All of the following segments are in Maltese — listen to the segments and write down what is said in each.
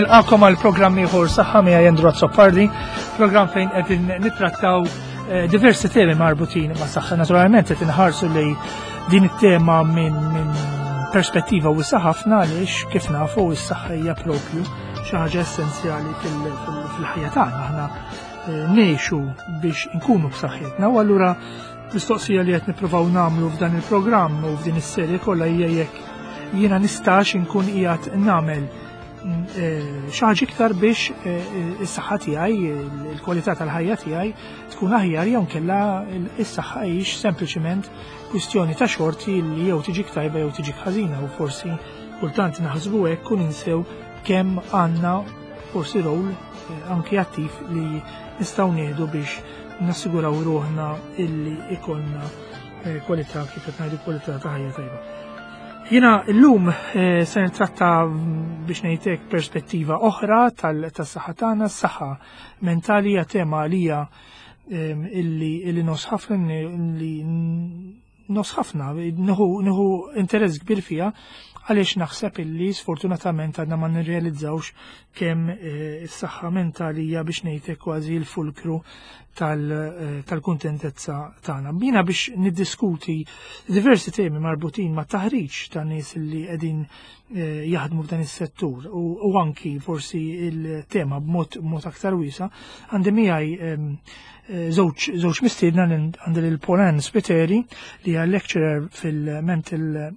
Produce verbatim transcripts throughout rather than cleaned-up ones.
Nilqakom għal programm ieħor Saħħa miegħi Andrew Azzopardi, programm fejn qegħdin nittrattaw eh, diversi temi marbutin ma' saħħa. Naturalment qed inħarsu li din it-tema minn min perspettiva wiesa' ħafna għaliex kif nafu s-saħħa hija propju xi ħaġa essenzjali fil-ħajja tagħna. Aħna eh, ngħixu biex inkunu b'saħħitna u allura mistoqsija li qed nippruvaw nagħmlu f'dan il-programm u f'din is-serje kollha hija jekk jiena nistax inkun qiegħed nagħmel eh, xi ħaġa iktar biex eh, is-saħħa tiegħi, il-kwalità tal-ħajja tiegħi tkun aħjar jew nkella is-saħħa hijiex sempliċiment kwistjoni ta' xorti li jew tiġik tajba jew tiġik ħażina u forsi kultant naħsbu hekk u ninsew kemm għandna forsi rol eh, anki attiv li nistgħu nieħdu biex nassiguraw ruħna illi ikollna eh, kwalità kif qed ngħidu kwalità ta' ħajja tajba. Jiena llum eh, se nittratta mm, biex ngħidlek perspettiva oħra tas-saħħa tagħna, s-saħħa mentali hija tema għalija ehm, illi illi nos ħafna li nos ħafna, nieħu interess kbir fiha għaliex naħseb illi sfortunatament għadna ma nirrealizzawx kemm eh, is-saħħa mentali hija biex ngħidlek kważi l-fulkru eh, tal-kuntentezza tagħna. Jiena biex niddiskuti diversi temi marbutin ma' taħriġ ta' nies li qegħdin eh, jaħdmu f'dan is-settur u anki forsi il-tema b'mod mod aktar wiesa' għandi miegħi ehm, żewġ żewġ mistiedna għandi lil Polan Spiteri li hija lecturer fil-Mental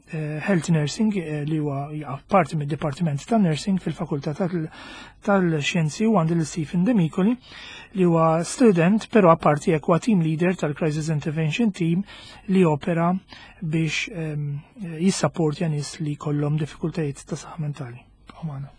Health Nursing li huwa parti mid-Dipartiment ta' Nursing fil-Fakultà tal-Xjenzi u għandi lil Stephen Demicoli li huwa student però apparti hekk huwa team leader tal-Crisis Intervention Team li opera biex ehm, jissapportja nies li kollhom diffikultajiet ta' saħħa mentali. Omana.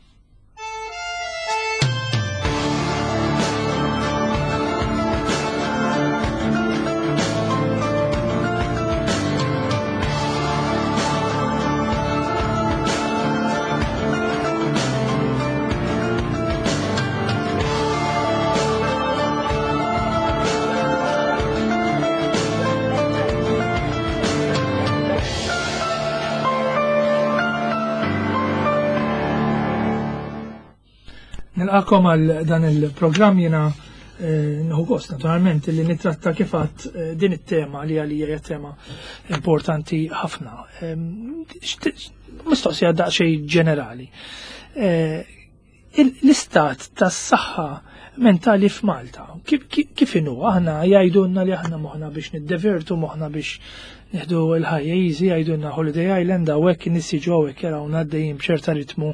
Nilqakom għal dan il-programm jiena eh, nieħu gost naturalment li nitratta kif għadt eh, din it-tema li għalija hija tema importanti ħafna. Ehm, mistoqsija daqsxejn ġenerali. Eh, l-istat tas-saħħa mentali f'Malta, kif inhu? Aħna jgħidulna li aħna moħħna biex niddevertu, moħħna biex nieħdu l-ħajja easy, jgħidulna Holiday Island hawnhekk in-nies jiġu hawnhekk jarawna għaddejjin b'ċerta ritmu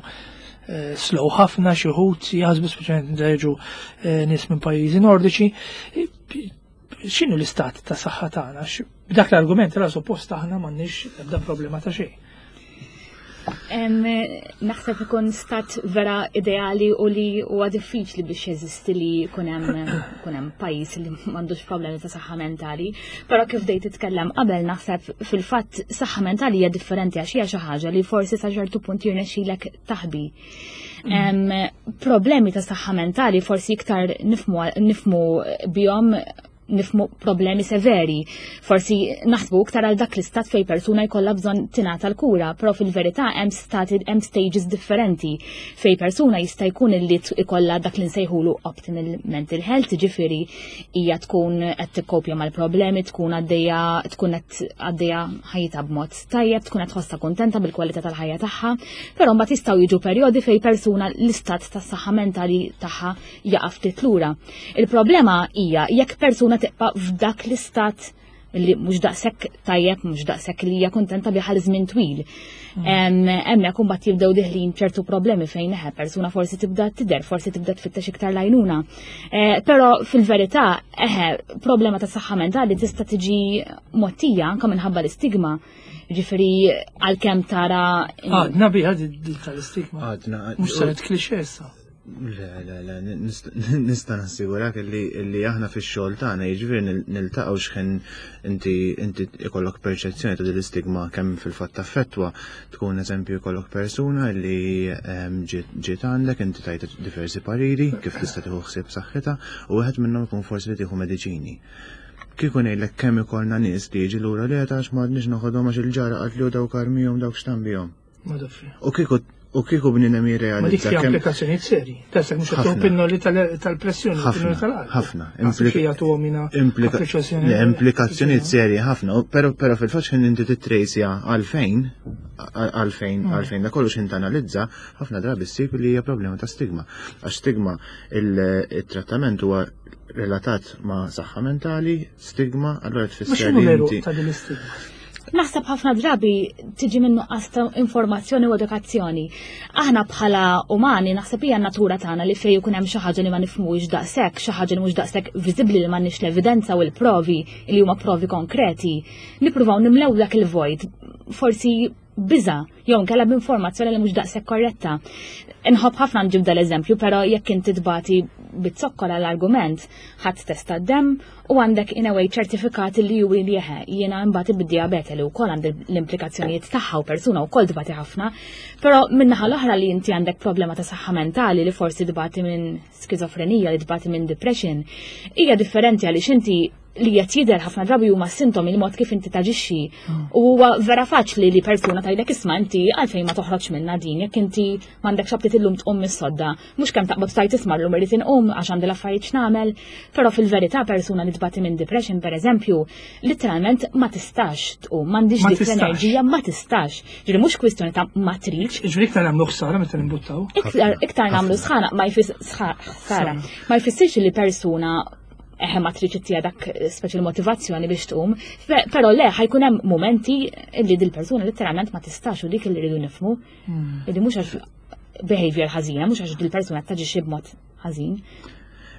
eh, slow ħafna xi wħud jaħsbu speċjalment jiġu eh, nies minn pajjiżi nordiċi. X'inhu l-istat ta' saħħa tagħna? B'dak l-argument ra suppost aħna m'għandniex ebda problema ta' xejn. Naħseb ikun stat vera ideali u li huwa diffiċli biex jeżisti li jkun hemm pajjiż li m'għandux problemi ta' saħħa mentali. Però kif dejt titkellem qabel naħseb fil-fatt saħħa mentali hija differenti għax hija xi ħaġa li forsi sa ċertu punt jirnexxilek taħbi. Problemi ta' saħħa mentali forsi iktar nifmu nifmu bihom nifmu problemi severi. Forsi naħsbu iktar għal dak l-istat fej persuna jkollha bżonn tingħata l-kura, però fil-verità hemm stati hemm stages differenti fej persuna jista' jkun illi ikollha dak li nsejħulu optimal mental health, ġifieri hija tkun qed tikkopja mal-problemi, tkun għaddejja tkun qed għaddejja ħajjitha b'mod tajjeb, tkun qed tħossha kuntenta bil-kwalità tal-ħajja tagħha, però mbagħad jistgħu jiġu perjodi fej persuna l-istat tas-saħħa mentali tagħha jaqa' ftit lura. Il-problema hija jekk persuna tibqa' f'dak l-istat li mhux daqshekk tajjeb, mhux daqshekk li hija kuntenta bih għal żmien twil. Hemmhekk imbagħad jibdew diħlin ċertu problemi fejn eħe persuna forsi tibda tidher, forsi tibda tfittex iktar lajnuna. Eh, però fil-verità eħe problema ta' saħħa mentali tista' tiġi mottija anke minħabba l-istigma. Ġifieri għalkemm tara Għadna biha tal-istigma. Għadna. Mhux saret klixè issa. Le, le, le, nista' nassigurak li li aħna fix-xogħol tagħna jiġifieri niltaqgħu x'ħin inti inti ikollok perċezzjoni ta' din l-istigma kemm fil-fatt taffettwa tkun eżempju jkollok persuna li ehm, ġiet għandek inti tajt diversi pariri kif tista' tieħu ħsieb saħħitha u wieħed minnhom ikun forsi li tieħu mediċini. Kieku ngħidlek kemm ikollna nies li jiġi lura li għax m'għadniex noħodhom għax il-ġara qalt li dawk armihom dawk x'tambihom. U kieku U kieku bniedem Ma dik jirrealizza hija kemm implikazzjonijiet seri. Tasek mhux qed Ħafna. pinnoli tal-pressjoni, Ħafna, pinnoli tal-qalb. ħafna. Implika jagħtuhom mina Implika- le, implikazzjonijiet serji ħafna, u- pero pero fil-fatt x'ħin inti titrejsja għalfejn, għalfejn, għalfejn da kollu x'ħin tanalizza, ħafna drabi ssib li hija problema ta' stigma. Għax stigma il-trattament huwa relatat ma' saħħa mentali, stigma, allora Ma tfisser x'inhu li l-għeruq inti ta' din l-istigma? Naħseb ħafna drabi tiġi minn nuqqas ta' informazzjoni u edukazzjoni. Aħna bħala umani naħseb hija natura tagħna li fejn ikun hemm xi ħaġa li ma nifhmux daqshekk, xi ħaġa li mhux daqshekk viżibbli li m'għandniex l-evidenza u l-provi li huma provi konkreti, nippruvaw nimlew dak il-vojt. Forsi biża jew nkella b'informazzjoni li mhux daqshekk korretta. Inħobb ħafna nġib dal-eżempju, però jekk inti tbati bit-zokkor l-argument, ħadd testa d-dem u għandek in a way ċertifikat li juri li jeħe jiena nbati bid-diabete li wkoll għandi l-implikazzjonijiet tagħha u persuna wkoll tbati ħafna, però min-naħa l-oħra li inti għandek problema ta' saħħa mentali li forsi tbati minn skizofrenija, li tbati minn depression, hija differenti għaliex inti li qed jidher ħafna drabi huma sintomi li mod kif inti taġixxi. U huwa vera faċli li persuna tgħidlek isma' inti għalfejn ma toħroġ minna din jekk inti m'għandekx aptit illum tqum mis-sodda. Mhux kemm taqbad tajt isma' llum irid inqum għax għandi l-affarijiet x'nagħmel, però fil-verità persuna li tbati minn depression pereżempju, literalment ma tistax tqum, m'għandix Ma dik tistax. l-enerġija, ma tistax. Ġifieri mhux kwistjoni ta' ma tridx, Ġifieri iktar nagħmlu ħsara meta nimbuttaw. iktar iktar nagħmlu sħana ma jfis ħsara. Ma jfissirx li persuna eħe ma tridx ittija dak speċi motivazzjoni biex tqum, Pe- però le ħa jkun hemm momenti li dil-persuna letteralment ma tistax u dik li rridu nifhmu. Illi mhux għax behavior ħażina, mhux għax dil-persuna taġixxi b'mod ħażin.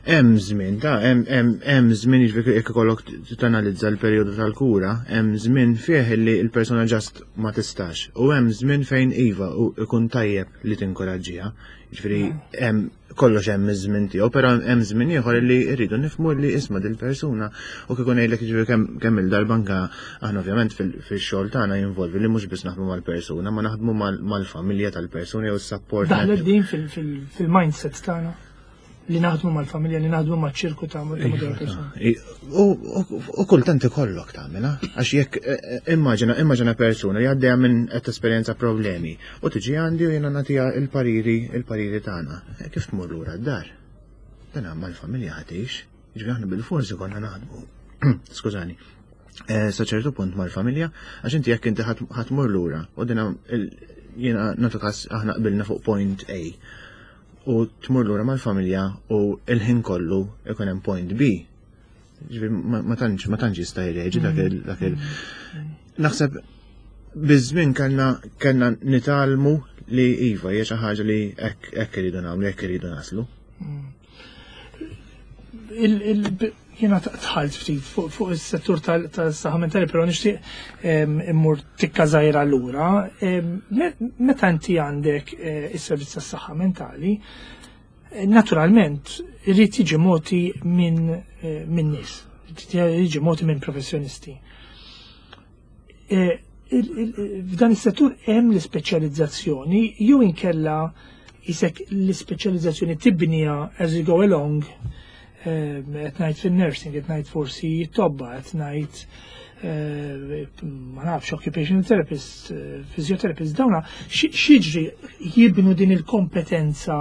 Hemm żmien, ta' hemm hemm hemm żmien jiġifieri jekk ikollok tanalizza l-perjodu tal-kura, hemm żmien fih li l-persuna just ma tistax. U hemm żmien fejn iva u ikun tajjeb li tinkoraġġiha. Jiġifieri hemm kollox hemm iż-żmien tiegħu, però hemm żmien ieħor li rridu nifhmu li isma' dil-persuna u kieku ngħidlek jiġifieri kemm kemm il-darba anke aħna ovvjament fil-xogħol tagħna jinvolvi li mhux biss naħdmu mal-persuna, ma naħdmu mal-familja tal-persuna jew is-support. Daħlet din fil-mindset tagħna li naħdmu mal-familja, li naħdmu maċ-ċirku ta' madwar persuna. U kultant ikollok tagħmilha, għax jekk eh, eh, immaġina immaġina persuna li għaddejja minn qed esperjenza problemi u tiġi għandi u jiena nagħtiha il-pariri il-pariri tagħna. Eh, kif tmur lura d-dar? Dan mal-familja ħatix, jiġifieri aħna bil-forsi konna naħdmu. Skużani. Sa ċertu punt mal-familja, għax inti jekk inti ħa tmur lura u dina jiena nagħtu każ aħna qbilna fuq point A u tmur lura mal-familja u il-ħin kollu ikun hemm point B. Ġifieri ma tantx ma tantx jista' jreġi dak il dak il Naħseb biż-żmien kellna kellna nitgħallmu li iva hija xi ħaġa li hekk hekk iridu nagħmlu, hekk iridu naslu. Jiena dħalt ftit fuq is-settur tas-saħħa mentali, però nixtieq immur tikka żgħira lura. Meta inti għandek eh, is-servizz tas-saħħa mentali, eh, naturalment irid jiġi moti minn eh, minn nies, jiġi moti minn professjonisti. F'dan is-settur hemm l-ispeċjalizzazzjoni jew inkella isek l-ispeċjalizzazzjoni tibnija as you go along qed ngħid fin-nursing, qed ngħid forsi tobba, qed ngħid eh, ma nafx occupational therapist, eh, physiotherapist, dawna x'jiġri jibnu din il-kompetenza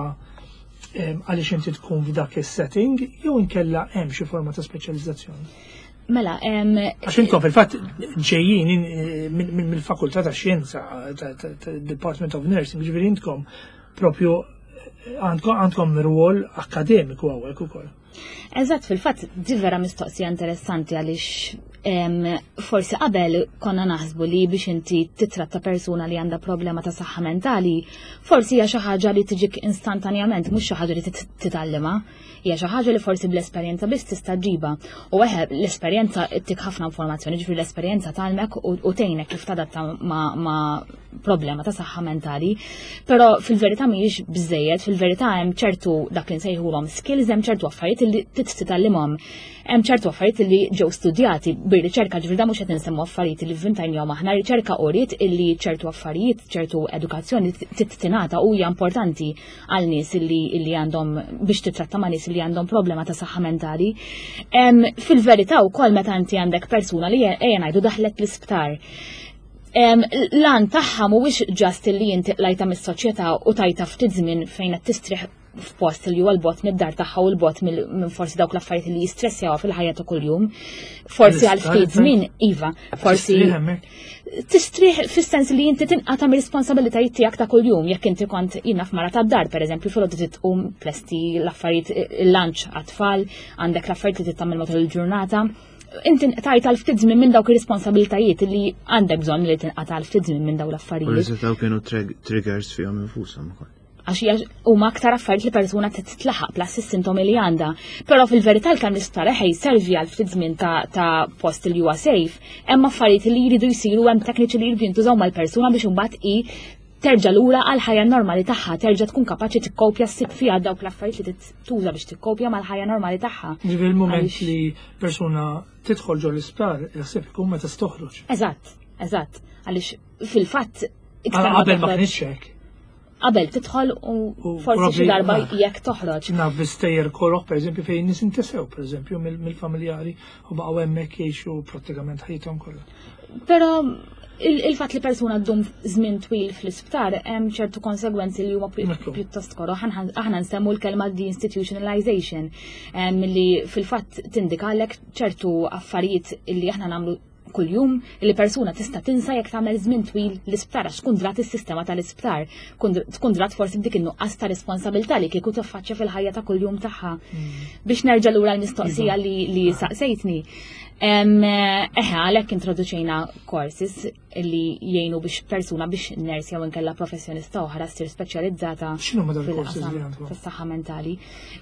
għaliex inti tkun f'dak is-setting jew inkella hemm xi forma ta' speċjalizzazzjoni. Mela, em, Għax intom fil-fatt ġejjin eh, minn- minn- mill-Fakultà ta' Xjenza, ta' ta- ta' Department of Nursing, ġifieri intkom propju eh, għandkom għandkom rwol akkademiku hawnhekk ukoll. Eżatt, fil-fatt, di vera mistoqsija interessanti għaliex em, forsi qabel konna naħsbu li biex inti titratta persuna li għandha problema ta' saħħa mentali, forsi hija xi ħaġa li tiġik instantanjament, mhux xi ħaġa li tit- titgħallimha. Hija xi ħaġa li forsi bl-esperjenza biss tista' ġġibha. U eħe l-esperjenza ttik ħafna informazzjoni, ġifieri l-esperjenza tgħallmek u u tgħinek kif tadatta ma', ma problema ta' saħħa mentali. Però fil-verità mhijiex biżejjed, fil-verità hemm ċertu dak li nsejħulhom skills, hemm ċertu affarijiet li trid titgħallimhom. Hemm ċertu affarijiet li ġew studjati bir-riċerka ġifieri da mhux qed insemmu affarijiet li vvintajnihom aħna, riċerka uriet illi ċertu affarijiet, ċertu edukazzjoni trid tingħata u hija importanti għal nies illi illi għandhom biex titratta ma' nies li għandhom problema ta' saħħa mentali. Em, Fil-verità wkoll meta inti għandek persuna li ejja ngħidu daħlet l-isptar. L-għan tagħha mhuwiex just li inti qlajtha mis-soċjetà u tajtha ftit żmien fejn qed tistrieħ f'post li huwa 'l bogħod mid-dar tagħha u 'l bogħod minn forsi dawk l-affarijiet li jistressjaw fil-ħajja ta' kuljum. Forsi għal ftit żmien, iva, forsi tistrieħ fis-sens li inti tinqata' mir-responsabilitajiet tiegħek ta' kuljum, jekk inti kont jiena f'mara tad-dar, pereżempju, filgħodu tqum, tlesti l-affarijiet, il-lunch għat-tfal, għandek l-affarijiet li tagħmel matul il-ġurnata. Inti tajtha għal ftit żmien minn dawk ir-responsabilitajiet li għandek bżonn li tinqata' għal ftit żmien minn dawn l-affarijiet. U li setgħu kienu triggers fihom infushom ukoll. Għax huma aktar affarijiet li persuna titlaħaq plus is-sintomi li għandha. Però fil-verità l-kemm l-isptar servi għal ftit żmien ta' post li huwa safe, hemm affarijiet li jridu jsiru, hemm tekniċi li jridu jintużaw mal-persuna biex imbagħad i terġa' lura għal ħajja normali tagħha, terġa' tkun kapaċi tikkopja, ssib fiha dawk l-affarijiet li tuża biex tikkopja mal-ħajja normali tagħha. Ġifieri il-mument li persuna tidħol ġo l-isptar, jaħseb ikun meta toħroġ. Eżatt, eżatt, għaliex fil-fatt iktar qabel ma kienx hekk. Qabel tidħol u forsi xi darba jekk toħroġ. Naf bi stejjer koroh, per eżempju, fejn nies intesew, per eżempju, mill-familjari u baqgħu hemmhekk jgħixu prattikament ħajjithom kollha. Però il-fatt li persuna ddum żmien twil fl-isptar hemm ċertu konsegwenzi li huma pjuttost koroh. Aħna nsemmu l-kelma deinstitutionalization, li fil-fatt tindikalek ċertu affarijiet li aħna nagħmlu kuljum li persuna tista' tinsa jekk tagħmel żmien twil l-isptar, għax tkun drat is-sistema tal-isptar, tkun drat forsi b'dik in-nuqqas ta' responsabilità li kieku tiffaċċja fil-ħajja ta' kuljum tagħha. Mm. Biex nerġa' lura l-mistoqsija li, li saqsejtni. Eħe, għalhekk introduċejna courses li jgħinu biex persuna, biex nurse jew inkella professjonista oħra ssir speċjalizzata fis-saħħa mentali.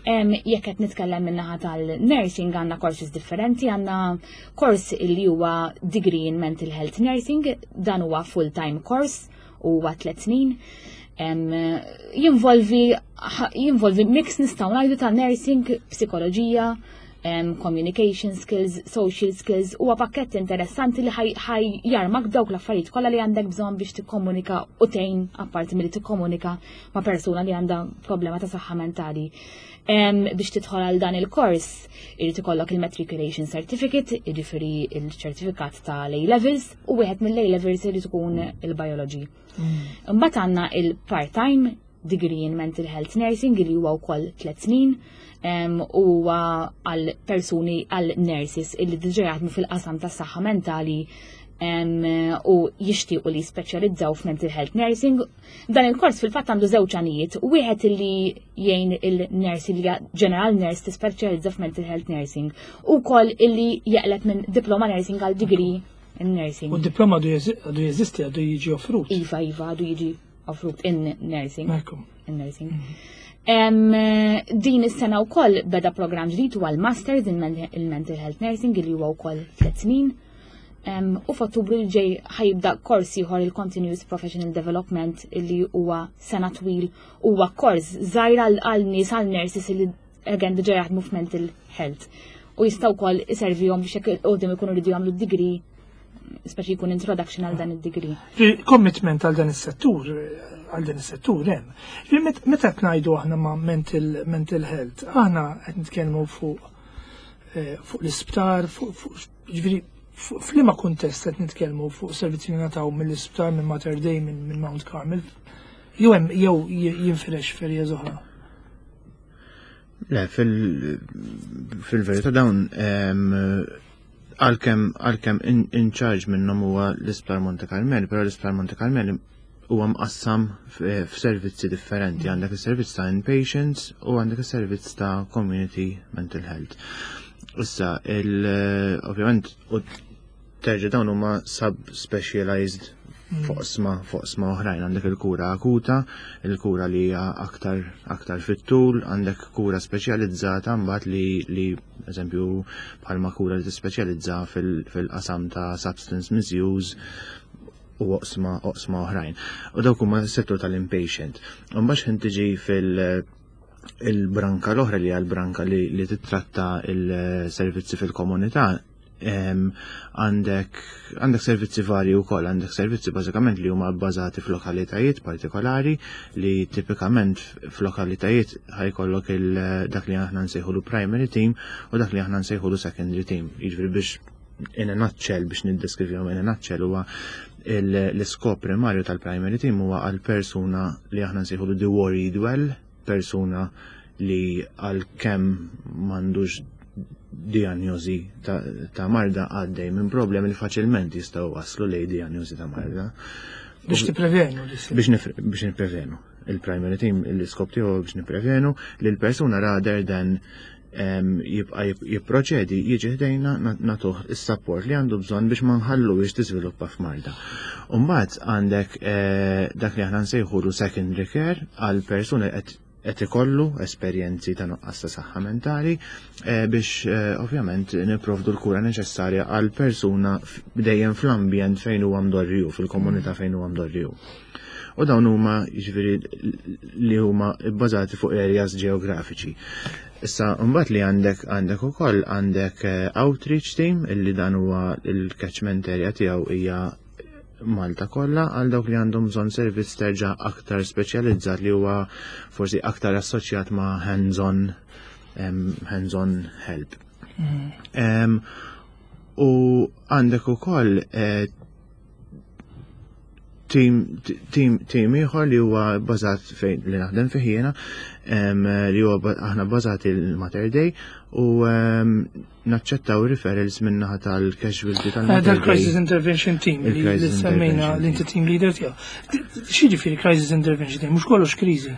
Jekk qed nitkellem min-naħa tal-nursing, għandna courses differenti, għandna course li huwa degree in mental health nursing, dan huwa full-time course, huwa tliet snin. Jinvolvi jinvolvi mix, nistgħu ngħidu, ta' nursing, psikoloġija, um, communication skills, social skills, huwa pakkett interessanti li ħaj jarmak dawk l-affarijiet kollha li għandek bżonn biex tikkomunika u tgħin, apparti milli tikkomunika ma' persuna li għandha problema ta' saħħa mentali. Um, biex tidħol għal dan il-kors, irid ikollok il-matriculation certificate, jiġifieri il-ċertifikat ta' A levels, u wieħed mill-A levels irid ikun il-biology. Mm. Imbagħad għandna il-part-time degree in mental health nursing li huwa wkoll tliet snin huwa għal persuni, għal nurses illi diġà jaħdmu fil-qasam tas saħħa mentali u jixtiequ li speċjalizzaw f'mental health nursing. Dan il-kors fil-fatt għandu żewġ għanijiet. Wieħed illi jgħin il-nurse li general nurse tispeċjalizza f'mental health nursing u wkoll illi jaqleb minn diploma nursing għal degree in nursing. U diploma għadu jeżisti, għadu jiġi offrut? Iva, iva, għadu jiġi offrut in nursing. In nursing. Mm -hmm. Din is-sena wkoll beda programm ġdid, huwa l-Masters in Mental Health Nursing li huwa wkoll tliet snin. U f'Ottubru li ġej ħa jibda kors ieħor, il-Continuous Professional Development, li huwa sena twil, huwa kors żgħir għal nies, għal nurses li again diġà jaħdmu f'mental health. U jistgħu wkoll iservihom biex jekk qudiem ikunu jridu jagħmlu degree, speċi jkun introduction għal dan id-degree. Commitment għal dan is-settur, għal dan is-settur hemm. Meta qed ngħidu aħna ma' mental, mental health, aħna qed nitkellmu fuq eh, fuq l-isptar, fuq, ġifieri f'liema kuntest qed nitkellmu, fuq servizzi li nataw mill-isptar, minn Mater Dei, minn Mount Carmel, jew hemm jew jinfirex f'areas oħra? Le, fil-verità dawn, għalkemm għalkemm in charge minnhom huwa l-Isptar Monte Carmel, però l-Isptar Monte Carmel huwa mqassam f'servizzi differenti. Għandek is-servizz ta' inpatients u għandek is-servizz ta' community mental health. Issa, ovvjament, u terġa' dawn huma sub-specialized f'oqsma f'oqsma oħrajn. Għandek il-kura akuta, il-kura li hija aktar aktar fit-tul, għandek kura speċjalizzata mbagħad li li eżempju bħalma kura li tispeċjalizza fil-qasam ta' substance misuse u oqsma oqsma oħrajn. U dawk huma s-settur tal-inpatient. U mbagħad ħin tiġi fil- il-branka l-oħra, li hija l-branka li, li titratta il-servizzi fil-komunità, għandek għandek servizzi varji wkoll, għandek servizzi bażikament li huma bbażati f'lokalitajiet partikolari, li tipikament f'lokalitajiet ħa jkollok dak li aħna nsejħulu primary team u dak li aħna nsejħulu secondary team. Jiġifieri biex in a nutshell, biex niddeskrivihom in a nutshell, huwa L-iskop primarju tal-primary team huwa għal persuna li aħna nsejħu the worried well, persuna li għal kemm m'għandux diagnosi ta', ta marda, għaddej minn problemi li faċilment jistgħu waslu lejn diagnosi ta' marda. Biex tipprevenu. Biex biex nipprevenu. Il-primary team, l-iskop tiegħu biex nipprevenu li l-persuna, rather than jibqa jipproċedi, jiġi ħdejna, nagħtuh is-support li għandu bżonn biex ma nħalluhiex tiżviluppa f'marda. Umbagħad għandek eh, dak li aħna nsejħulu secondary care, għal persuni qed qed ikollu esperjenzi ta' nuqqas ta' saħħa mentali, eh, biex eh, ovvjament nipprovdu l-kura neċessarja għal persuna dejjem fl-ambjent fejn huwa mdorriju, fil-komunità fejn huwa mdorriju. U dawn huma, jiġifieri, li huma bbażati fuq areas ġeografiċi. Issa mbagħad li għandek għandek ukoll għandek eh, outreach team, illi dan huwa il-catchment area tiegħu hija Malta kollha, għal dawk li għandhom bżonn servizz terġa' aktar speċjalizzat li huwa forsi aktar assoċjat ma' hands-on hands-on help. Mm. Um, u għandek ukoll eh, team team team ieħor li huwa bbażat fejn li naħdem fih jiena, li huwa aħna bbażati il-Mater Dei u naċċettaw referrals min-naħa tal-casualty tal-Mater. Dal-Crisis Intervention Team li semmejna, li inti team leader tiegħu. X'jiġifieri Crisis Intervention Team? Mhux kollox kriżi.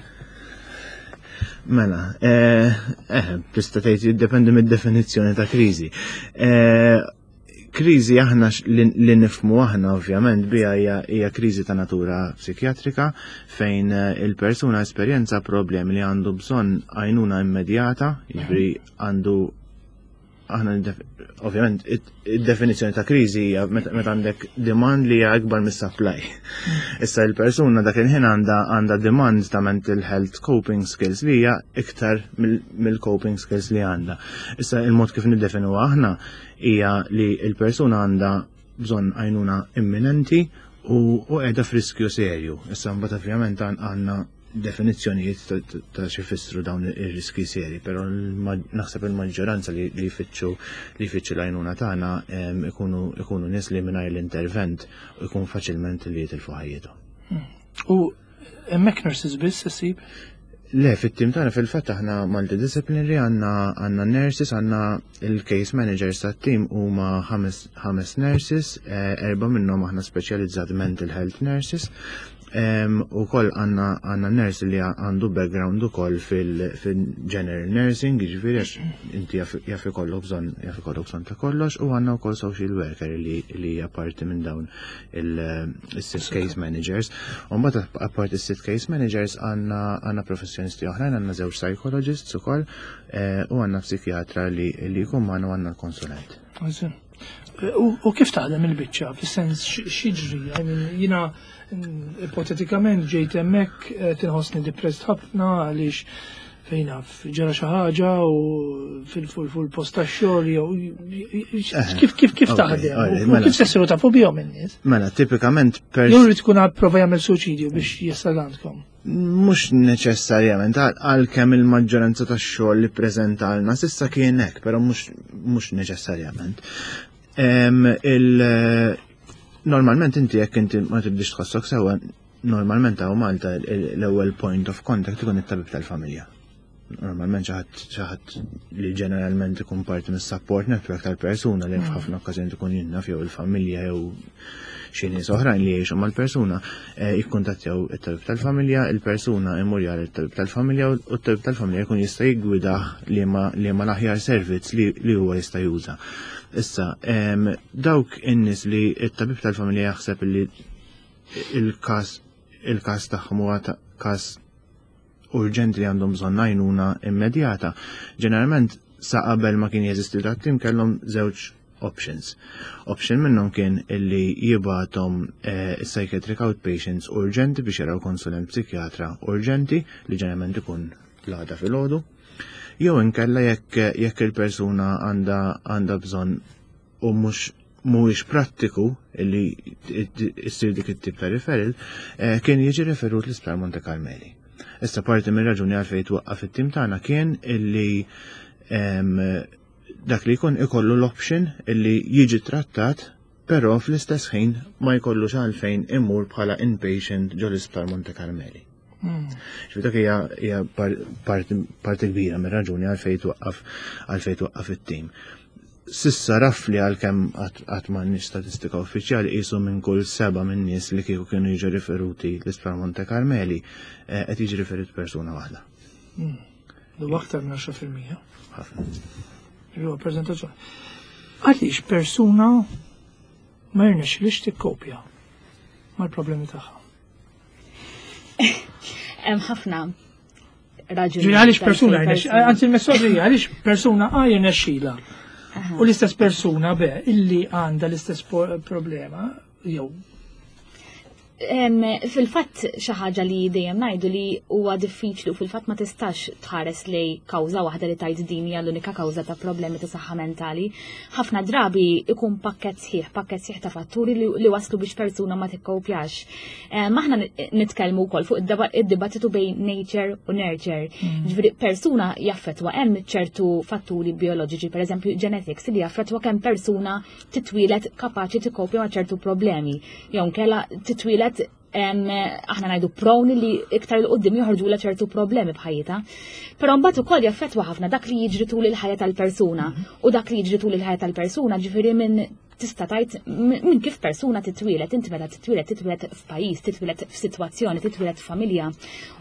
Mela, eh, eh, tista' tgħid jiddependi mid-definizzjoni ta' kriżi. Eh, kriżi aħna li nifhmu aħna ovvjament bija hija kriżi ta' natura psikjatrika, fejn eh, il-persuna esperjenza problemi li għandu bżonn għajnuna immedjata, jiġifieri għandu aħna ovvjament id-definizzjoni ta' kriżi hija meta għandek demand li hija akbar mis-supply. Issa il-persuna dak il-ħin għandha għandha demand ta' mental health coping skills li hija iktar mill-coping skills li għandha. Issa il-mod kif niddefinu aħna hija li il-persuna għandha bżonn għajnuna imminenti u qiegħda f'riskju serju. Issa mbagħad ovvjament għandna definizzjonijiet ta' xi jfissru dawn ir-riski seri, però naħseb il-maġġoranza li jfittxu li jfittxu l-għajnuna tagħna ikunu ikunu nies li mingħajr l-intervent ikun faċilment li jitilfu ħajjithom. Hmm. U hemmhekk nurses biss issib? Le, fit-tim tagħna fil-fatt aħna multidisciplinary, għandna għandna nurses, għandna il-case managers tat-tim huma ħames nurses, eh, erba' minnhom aħna speċjalizzat mental health nurses. U koll għandna għandna nurse li għandu background u koll fil-general nursing, ġifieri għax inti jaf ikollok bżonn jaf ikollok bżonn ta' kollox, u għandna wkoll social worker li li hija parti minn dawn il-sitt case managers. U mbagħad apparti is-sitt case managers għandna għandna professjonisti oħrajn, għandna żewġ psychologists ukoll eh, u għandna psikjatra li li jkun magħna u għandna l-konsulent. U kif taħdem il-biċċa, fis-sens x'jiġri? I mean, jiena mm, ipotetikament ġejt hemmhekk, eh, tinħossni depressed ħafna għaliex fejn naf ġara xi ħaġa u fil-post tax-xogħol jew kif kif kif taħdem u mela. kif se ssiru tafu bihom in-nies? Mela, tipikament per Jew irid tkun prova jagħmel suċidju biex jasal għandkom? Mhux neċessarjament, għalkemm il-maġġoranza tax-xogħol li preżentalna s'issa kien hekk, però mhux neċessarjament. Il normalment inti jekk inti ma tibdix tħossok sewwa, normalment hawn Malta l-ewwel point of contact ikun it-tabib tal-familja. Normalment xi ħadd li ġeneralment ikun parti mis-support network tal-persuna, li mm. f'ħafna okkażjoni tkun jinnaf jew il-familja jew xi nies oħrajn li jgħixu mal-persuna, eh, jikkuntattjaw it-tabib tal-familja, il-persuna imur jara it-tabib tal-familja u t-tabib tal-familja jkun jista' jiggwidah li ma l-aħjar servizz li huwa jista' juża. Issa, dawk in-nies li t-tabib tal-familja jaħseb li il-każ il-każ tagħhom huwa każ urġenti li għandhom bżonn għajnuna immedjata. Ġeneralment, sa qabel ma kien jeżisti dat-tim, kellhom żewġ options. Option minnhom kien illi jibgħathom eh, psychiatric outpatients urġenti biex jaraw konsulent psikjatra urġenti, li ġeneralment ikun l-għada filgħodu. Jew inkella jekk jekk il-persuna għandha għandha bżonn u mhux mhuwiex prattiku illi issir dik it-tip ta' referral, eh, kien jiġi referut l-Isptar Monte Carmeli. Issa parti minn raġuni għalfejn twaqqaf it-tim tagħna kien illi dak li jkun ikollu l-option illi jiġi trattat Però fl-istess ħin ma jkollux għalfejn imur bħala inpatient ġo l-isptar Monte Carmeli. Ġifieri dak hija hija parti parti kbira mir-raġuni għalfejn twaqqaf għalfejn twaqqaf it-tim. S'issa roughly, għalkemm qatt m'għandniex statistika uffiċjali, qisu minn kull seba' minn nies li kieku kienu jiġu riferuti l-isptar Monte Carmeli eh, qed jiġi riferut persuna waħda. Du aktar minn għaxra fil-mija. Ħafna. Huwa perċentaġġ. Għaliex persuna ma jirnexxilix tikkopja mal-problemi tagħha? Hemm ħafna raġuni. Ġifieri għaliex persuna jirnexx, anzi il-mistoqsija, għaliex persuna A jirnexxila u l-istess persuna B illi għandha l-istess po- problema jew Em, Fil-fatt xi ħaġa li dejjem ngħidu li huwa diffiċli u fil-fatt ma tistax tħares lej kawża waħda li tajt din hija l-unika kawża ta' problemi ta' saħħa mentali. Ħafna drabi ikun pakket sħiħ, pakket sħiħ ta' fatturi li, li waslu biex persuna ma tikkopjax. Em, Aħna nitkellmu wkoll fuq id-deba- id-dibattitu bejn nature u nurture. Ġifieri persuna jaffetwa hemm ċertu fatturi bioloġiċi, per eżempju genetics, li jaffetwa kemm persuna titwilet kapaċi tikkopja ma' ċertu problemi. Jew nkella titwilet em, aħna ngħidu prone li iktar 'il quddiem joħorġu ċertu problemi b'ħajjitha. Però mbagħad ukoll jaffettwa ħafna dak li jiġri tul il-ħajja tal-persuna u dak li jiġri tul il-ħajja tal-persuna, ġifieri minn tista' tgħid minn kif persuna titwilet, inti meta titwilet, titwilet f'pajjiż, titwilet f'sitwazzjoni, titwilet f'familja.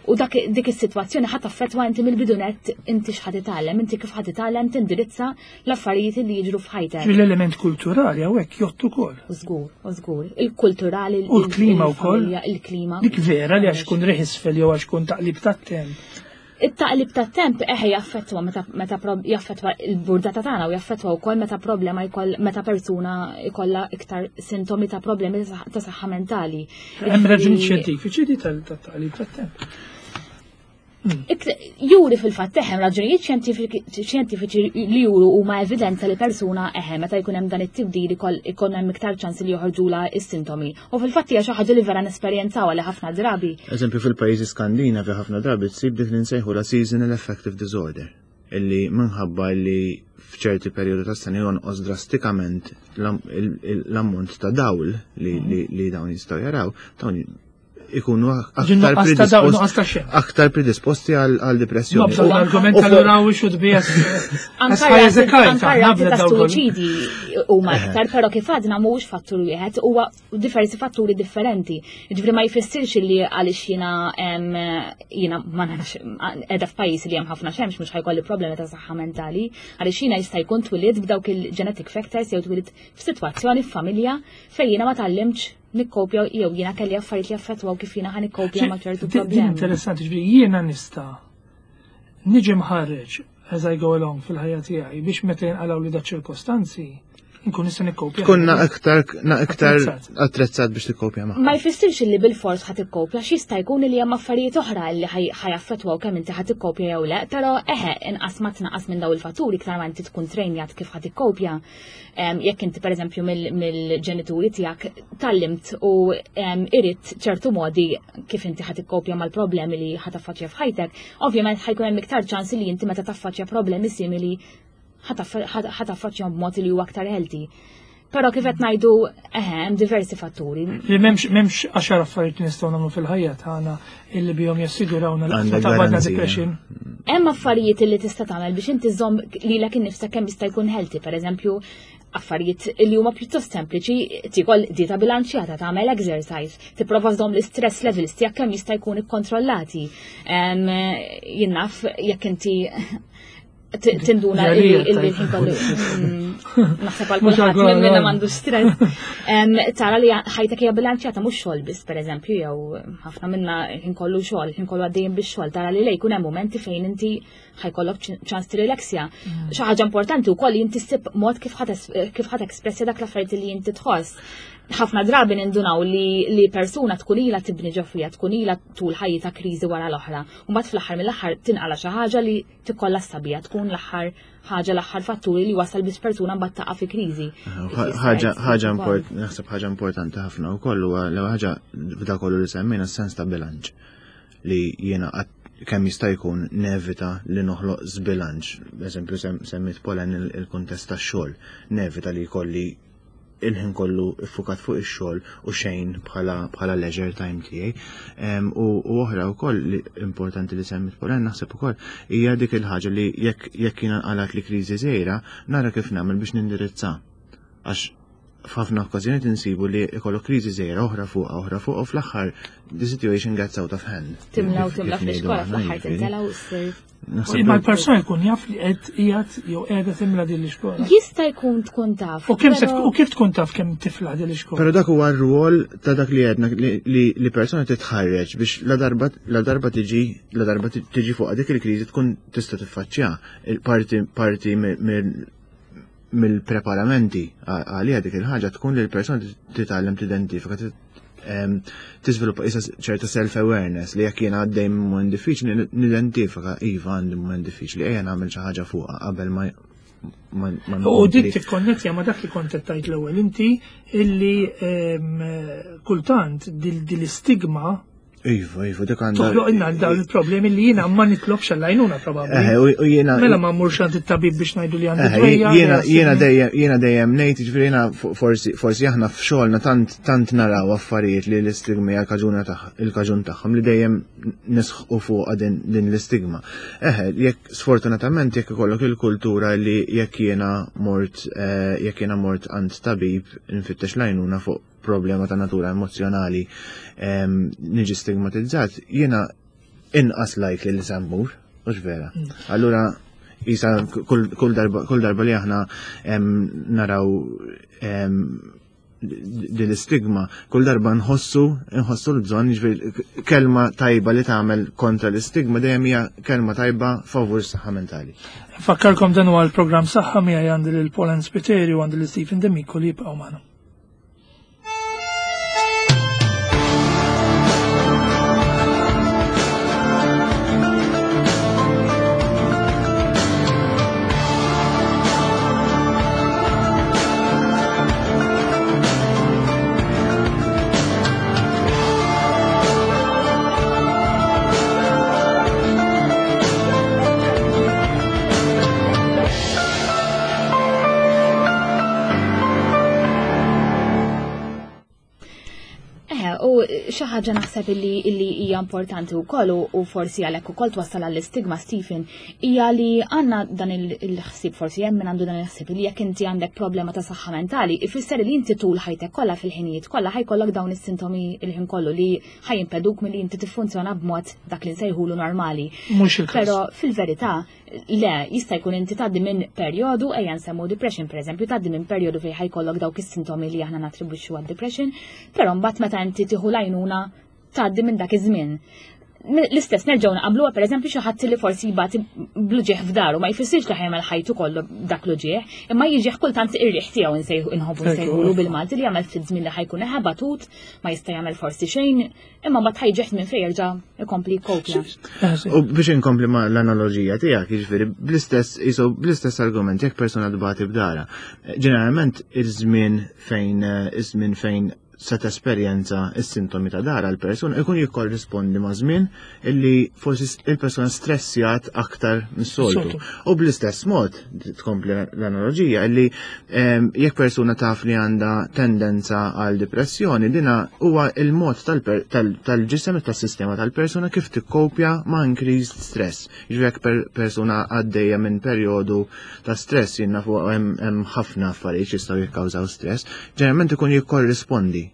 U dak dik is-sitwazzjoni ħadd affettwa inti mill-bidunet inti x'ħa titgħallem, inti kif ħa titgħallem tindirizza l-affarijiet li jiġru f'ħajtek. L-element kulturali hawnhekk jgħodd ukoll. U żgur, u żgur. Il-kulturali, U l-klima wkoll. il-familja, il-klima. Dik vera li għax kun riħ isfel jew għax kun taqlib tat-temp. It-taqlib tat-temp eħe jaffettwa meta meta prob- jaffettwa il-burdata tagħna u jaffettwa wkoll meta problema jkoll meta persuna jkollha iktar sintomi ta' problemi ta' saħ- ta' saħħa mentali. Hemm raġuni Ġifieri- xjentifiċi di tal-taqlib tat-temp. Ik- Juri fil-fatt eħem raġunijiet xjentifiċi xjentifiċi li juru huma evidenza li persuna eħe meta jkun hemm dan it-tibdil ikoll ikun hemm iktar ċans li joħorġula is-sintomi. U fil-fatt hija xi ħaġa li vera nesperjenzawha li ħafna drabi. Eżempju, fil-pajjiżi Skandinavi ħafna drabi tsib dik li nsejħu la seasonal affective disorder, illi minħabba li f'ċerti perjodu ta' sena jonqos drastikament l-am- il- il- l-ammont ta' dawl li, li, li dawn jistgħu jaraw, dawn ikunu aktar Nuqqas ta' dawl, nuqqas predisposti ta' xemx. aktar predisposti għal għal depressjoni. Nobża U- l-argument u tal we should be as as Anka high as a rati- kite. anka rati ta' Nabda daw kollu. suwiċidi huma iktar, però kif għadna mhuwiex fattur wieħed, huwa diversi fatturi differenti. Ġifieri ma jfissirx li għaliex jiena em, jiena ma nafx qiegħda f'pajjiż li hemm ħafna xemx mhux ħa jkolli problemi ta' saħħa mentali, għaliex jiena jista' jkun twilid b'dawk il-genetic factors jew twilid f'sitwazzjoni f'familja fejn jiena ma tgħallimtx nikkopja jew jiena kelli affarijiet li affettwaw kif jiena ħa nikkopja ma' ċertu Din din problemi. interessanti, ġifieri jiena nista' niġi mħarreġ as I go along fil-ħajja tiegħi biex meta jinqalgħu li da ċirkostanzi nkun nista' nikkopja. Tkun na aktar na aktar Attrezzat. attrezzat biex tikkopja ma'. Ma jfissirx li bil-fors ħa tikkopja, x'jista' jkun li hemm affarijiet oħra li ħa jaffettwaw kemm inti ħa tikkopja jew le, però eħe inqas ma tnaqqas minn daw il-fatturi iktar ma inti tkun trejnjat kif ħa tikkopja. Em, Jekk inti pereżempju mill- mill-ġenituri tiegħek tgħallimt u em, irid ċertu modi kif inti ħa tikkopja mal-problemi li ħa taffaċċja f'ħajtek, ovvjament ħa jkun hemm iktar ċans li inti meta taffaċċja problemi simili ħa taffaċċjahom b'mod li huwa aktar healthy. Però kif qed ngħidu, eħe, hemm diversi fatturi. Li m'hemmx m'hemmx għaxar affarijiet li nistgħu nagħmlu fil-ħajja tagħna illi bihom jassigurawna li Għandek ta' għadna garanzija. depression. Hemm affarijiet li tista' tagħmel biex inti żomm lilek innifsek kemm jista' jkun healthy, pereżempju affarijiet li huma pjuttost sempliċi, tikol dieta bilanċjata, tagħmel exercise, tipprova żomm l-istress levels tiegħek kemm jista' jkun ikkontrollati. Em, Jien naf jekk inti t- tinduna illi Għalija, illi tajt. l-ħin kollu mm, naħseb għal Mhux kulħadd għal minn minna kulħadd. m'għandu stress. Em, Tara li ħajtek hija bilanċjata, mhux xogħol biss, pereżempju, jew ħafna minna ħin kollu xogħol, ħin kollu għaddejjin bix-xogħol, tara li lej jkun hemm momenti fejn inti ħa jkollok ċ- ċans tirrilaxja. Xi ħaġa importanti wkoll li inti ssib mod kif ħa tes- kif ħa tespressja dak l-affarijiet li inti tħoss. Ħafna drabi nindunaw li, li persuna tkun ilha tibni ġo fiha, tkun ilha tul ħajjitha kriżi wara l-oħra. U mbagħad fl-aħħar mill-aħħar tinqala xi ħaġa li tikkollassa biha, tkun l-aħħar ħaġa, l-aħħar fatturi li wasal biex persuna mbagħad taqa' fi kriżi. Ħaġa ħaġa import, naħseb ħaġa importanti ħafna wkoll huwa l ħaġa f'da kollu li semmejna, sens ta' bilanċ, li jiena qatt kemm jista' jkun nevita li noħloq żbilanċ. Eżempju, sem- semmit Polen il- il-kuntest tax-xogħol, nevita li jkolli il-ħin kollu iffukat fuq ix-xogħol u xejn bħala bħala leisure time tiegħi. U oħra wkoll li importanti li semmit Polen naħseb ukoll hija dik il-ħaġa li jekk jekk jiena nqalat li kriżi żgħira nara kif nagħmel biex nindirizza. Għax f'ħafna okkażjonijiet insibu li ikollok kriżi żgħira oħra fuq oħra fuq u fl-aħħar the situation gets out of hand. Timla u timla fl-iskola fl-aħħar tintela u ssir. Imma l-persuna jkun jaf li qed qiegħed jew qiegħda timla din l-iskola. Jista' jkun tkun taf. U kemm u kif tkun taf kemm tifla din l-iskola? Però dak huwa r-rwol ta' dak li għedna li persuna titħarreġ biex la darba la darba tiġi la darba tiġi fuq dik il-kriżi tkun tista' tiffaċċja. Parti parti mill-preparamenti għalija dik il-ħaġa tkun li l-persuna titgħallem tidentifika, tiżviluppa isa ċerta self-awareness li jekk jiena għaddej minn mument diffiċli nidentifika iva għandi mument diffiċli ejja nagħmel xi ħaġa fuqha qabel ma U dik tikkonnettja ma dak li kont qed tgħid l-ewwel inti illi kultant dil-istigma Iva, iva, dik għandha. Toħloq inna dawn il-problemi li jiena ma nitlobx għall-għajnuna probabbli. Eħe, u jiena. Mela ma mmurx għand it-tabib biex ngħidu li għandi dwejja. Jiena jiena dejjem jiena dejjem ngħid, jiġifieri jiena forsi forsi aħna f'xogħolna tant tant naraw affarijiet li l-istigma hija l-kaġuna il-kaġun tagħhom li dejjem nisħqu fuqha din l-istigma. Eħe, jekk sfortunatament jekk ikollok il-kultura li jekk jiena mort jekk jiena mort għand tabib nfittex l-għajnuna fuq problema ta' natura emozjonali niġi stigmatizzat, jiena inqas likely li se mmur, mhux vera. Allura isa kull darba kull darba li aħna naraw din l-istigma, kull darba nħossu nħossu l-bżonn, jiġifieri kelma tajba li tagħmel kontra l-istigma dejjem hija kelma tajba favur s-saħħa mentali. Fakkarkom dan huwa l-programm Saħħa miegħi għandi lil Pauline Spiteri u għandi lil Stephen D'Amico li jibqgħu magħna. Xi ħaġa naħseb illi illi hija importanti wkoll u forsi għalhekk ukoll twassal għall-istigma Stephen hija li għandna dan il-ħsieb, forsi hemm min għandu dan il-ħsieb li jekk inti għandek problema ta' saħħa mentali ifisser li inti tul ħajtek kollha fil-ħinijiet kollha ħajkollok dawn is-sintomi il-ħin kollu li ħajimpeduk milli inti tiffunzjona b'mod dak li nsejħulu normali. Mhux il-każ. Però fil-verità le, jista' jkun inti tgħaddi minn perjodu, ejja nsemmu depression pereżempju, tgħaddi minn perjodu fejn ħajkollok dawk is-sintomi li aħna nattribwixxu għad-depression, però mbagħad meta inti tieħu l-għajnuna tgħaddi minn dak iż-żmien. L-istess nerġgħu naqabluha pereżempju xi ħadd li forsi jibgħat bl-uġieħ f'daru, ma jfissirx li ħajmel ħajtu kollu dak l-uġieħ, imma jiġih kultant ir-riħ tiegħu nsejħu inħobbu nsejħulu bil-Malti li jagħmel ftit żmien li ħajkun ħabatut, ma jista' jagħmel forsi xejn, imma mbagħad ħajġeħ minn fejn jerġa' ikompli jkopja. U biex inkompli ma l-analogija tiegħek, jiġifieri bl-istess isu bl-istess argument jekk persuna tbati b'dara. Ġeneralment iż-żmien fejn iż-żmien fejn se tesperjenza s-sintomi ta' dara l-persuna ikun jikkorrispondi ma' żmien illi forsi il-persuna stressjat aktar mis-soltu. U bl-istess mod tkompli l-analogija illi jekk persuna taf li għandha tendenza għal depressjoni, dina huwa il-mod tal-ġisem tas-sistema tal-persuna kif tikkopja ma' increased stress. Jiġifieri jekk persuna għaddejja minn perjodu ta' stress, jien nafu hemm ħafna affarijiet jistgħu jikkawżaw stress, ġeneralment ikun jikkorrispondi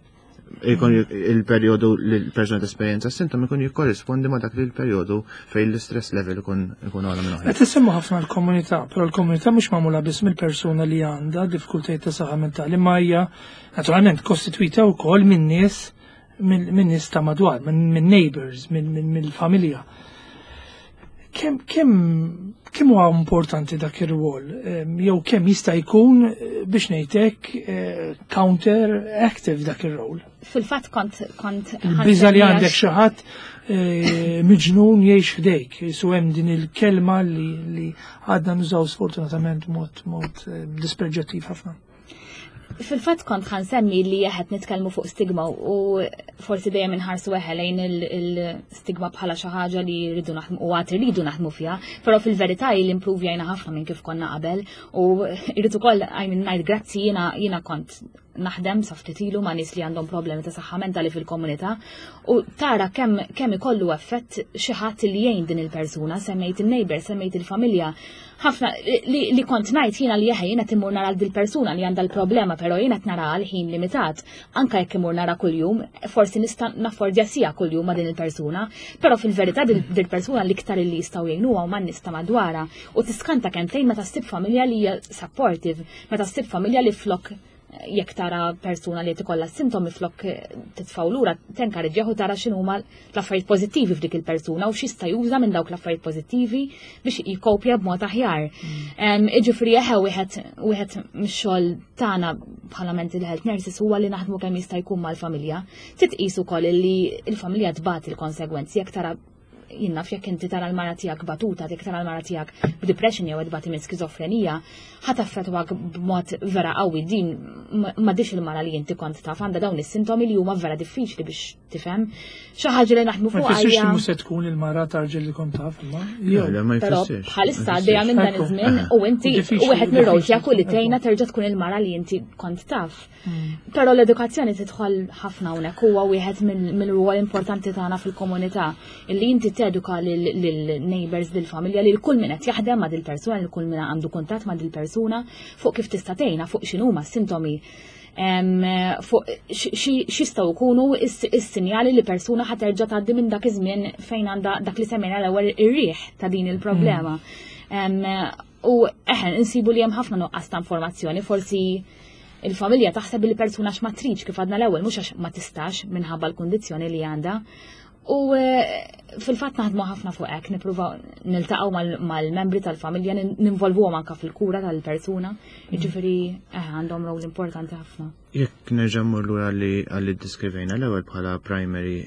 ikun il-perjodu li l-persuna tesperjenza s-sintomi ikun jikkorrispondi ma' dak li l-perjodu fejn l-istress level ikun ikun ogħla minn oħra. Qed isemmu ħafna l-komunità, però l-komunità mhux magħmula biss mill-persuna li għandha diffikultajiet ta' saħħa mentali, ma hija naturalment kostitwita wkoll minn nies minn nies ta' madwar, minn neighbors, mill-familja. Kemm kemm kemm huwa importanti dak ir-rwol, jew kemm jista' jkun biex ngħidlek counter active dak ir-rol? Fil-fatt kont kont Il-biża li għandek xi ħadd miġnun jgħix ħdejk, su hemm din il-kelma li li għadna nużaw sfortunatament mod mod dispreġjattiv ħafna. Fil-fatt kont ħansemmi li qed nitkellmu fuq stigma u forsi dejjem inħarsu eħe lejn il-stigma bħala xi ħaġa li rridu naħdmu u għad irridu naħdmu fiha, però fil-verità li improvjajna ħafna minn kif konna qabel u rrid ukoll I mean ngħid grazzi jiena jiena kont Naħdem sa ftit ilu ma' nies li għandhom problemi ta' saħħa mentali fil-komunità u tara kemm kemm ikollu effett xi ħadd li jgħin din il-persuna, semmejt il-neighbor, semmejt il-familja. Ħafna li, li kont ngħid jiena li jeħe jiena timmur nara dil-persuna li għandha l-problema, però jiena qed nara għal ħin limitat. Anka jekk imur nara kuljum, forsi nista' naffordja siegħa kuljum ma' din il-persuna, però fil-verità dil-persuna l-iktar li jistgħu jgħinuha huma n-nies ta' madwarha u tiskanta kemm tgħin meta ssib familja li hija supportive, meta ssib familja li flok jekk tara persuna li tikolla sintomi, flok titfgħu lura, tenkareġġjahu, tara x'inhuma l-affarijiet pożittivi f'dik il-persuna u x'jista' juża minn dawk l-affarijiet pożittivi biex jikopja b'mod aħjar. Mm. Iġifieri eħe wieħed wieħed mix-xogħol tagħna bħala mental health nurses huwa li naħdmu kemm jista' jkun mal-familja. Titqis ukoll li l-familja tbati l-konsegwenzi jekk tara, jien naf, jekk inti tara l-mara tiegħek batuta, jekk tara l-mara tiegħek b'depression jew tbati minn skizofrenija, ħa taffettwak b'mod vera qawwi. Din m'għadhiex il-mara li inti kont taf, għandha dawn is-sintomi li huma vera diffiċli biex tifhem. Xi ħaġa li naħdmu fuq. Ma jfissirx mhux se tkun il-mara tarġel li kont taf, imma. Però bħalissa għaddejja minn dan iż-żmien u inti wieħed mir-rol tiegħek u li tgħinha terġa' tkun il-mara li inti kont taf. Hmm. Però l-edukazzjoni tidħol ħafna hawnhekk, huwa wieħed mill-rwol importanti tagħna fil-komunità illi inti teduka lil-neighbors, lill-familja, lil kull min qed jaħdem ma' dil-persuna, lil kull min għandu kuntatt ma' dil-persuna fuq kif tista' tgħinha, fuq x'inhuma s-sintomi, fuq x'jistgħu jkunu is-sinjali li persuna ħa terġa' tgħaddi minn dak iż-żmien fejn għandha dak li semmejna l-ewwel ir-riħ ta' din il-problema. U eħen, insibu li hemm ħafna nuqqas ta' informazzjoni, forsi il-familja taħseb li persuna ma tridx, kif għadna l-ewwel, mhux għax ma tistax, minħabba l-kundizzjoni li għandha. U eh, fil-fatt naħdmu ħafna fuq hekk, nippruvaw niltaqgħu mal-membri tal-familja, ninvolvuhom anka fil-kura tal-persuna, jiġifieri eh, għandhom rol importanti ħafna. Jekk nerġa' mmur lura li għalli ddiskrivejna l-ewwel bħala primary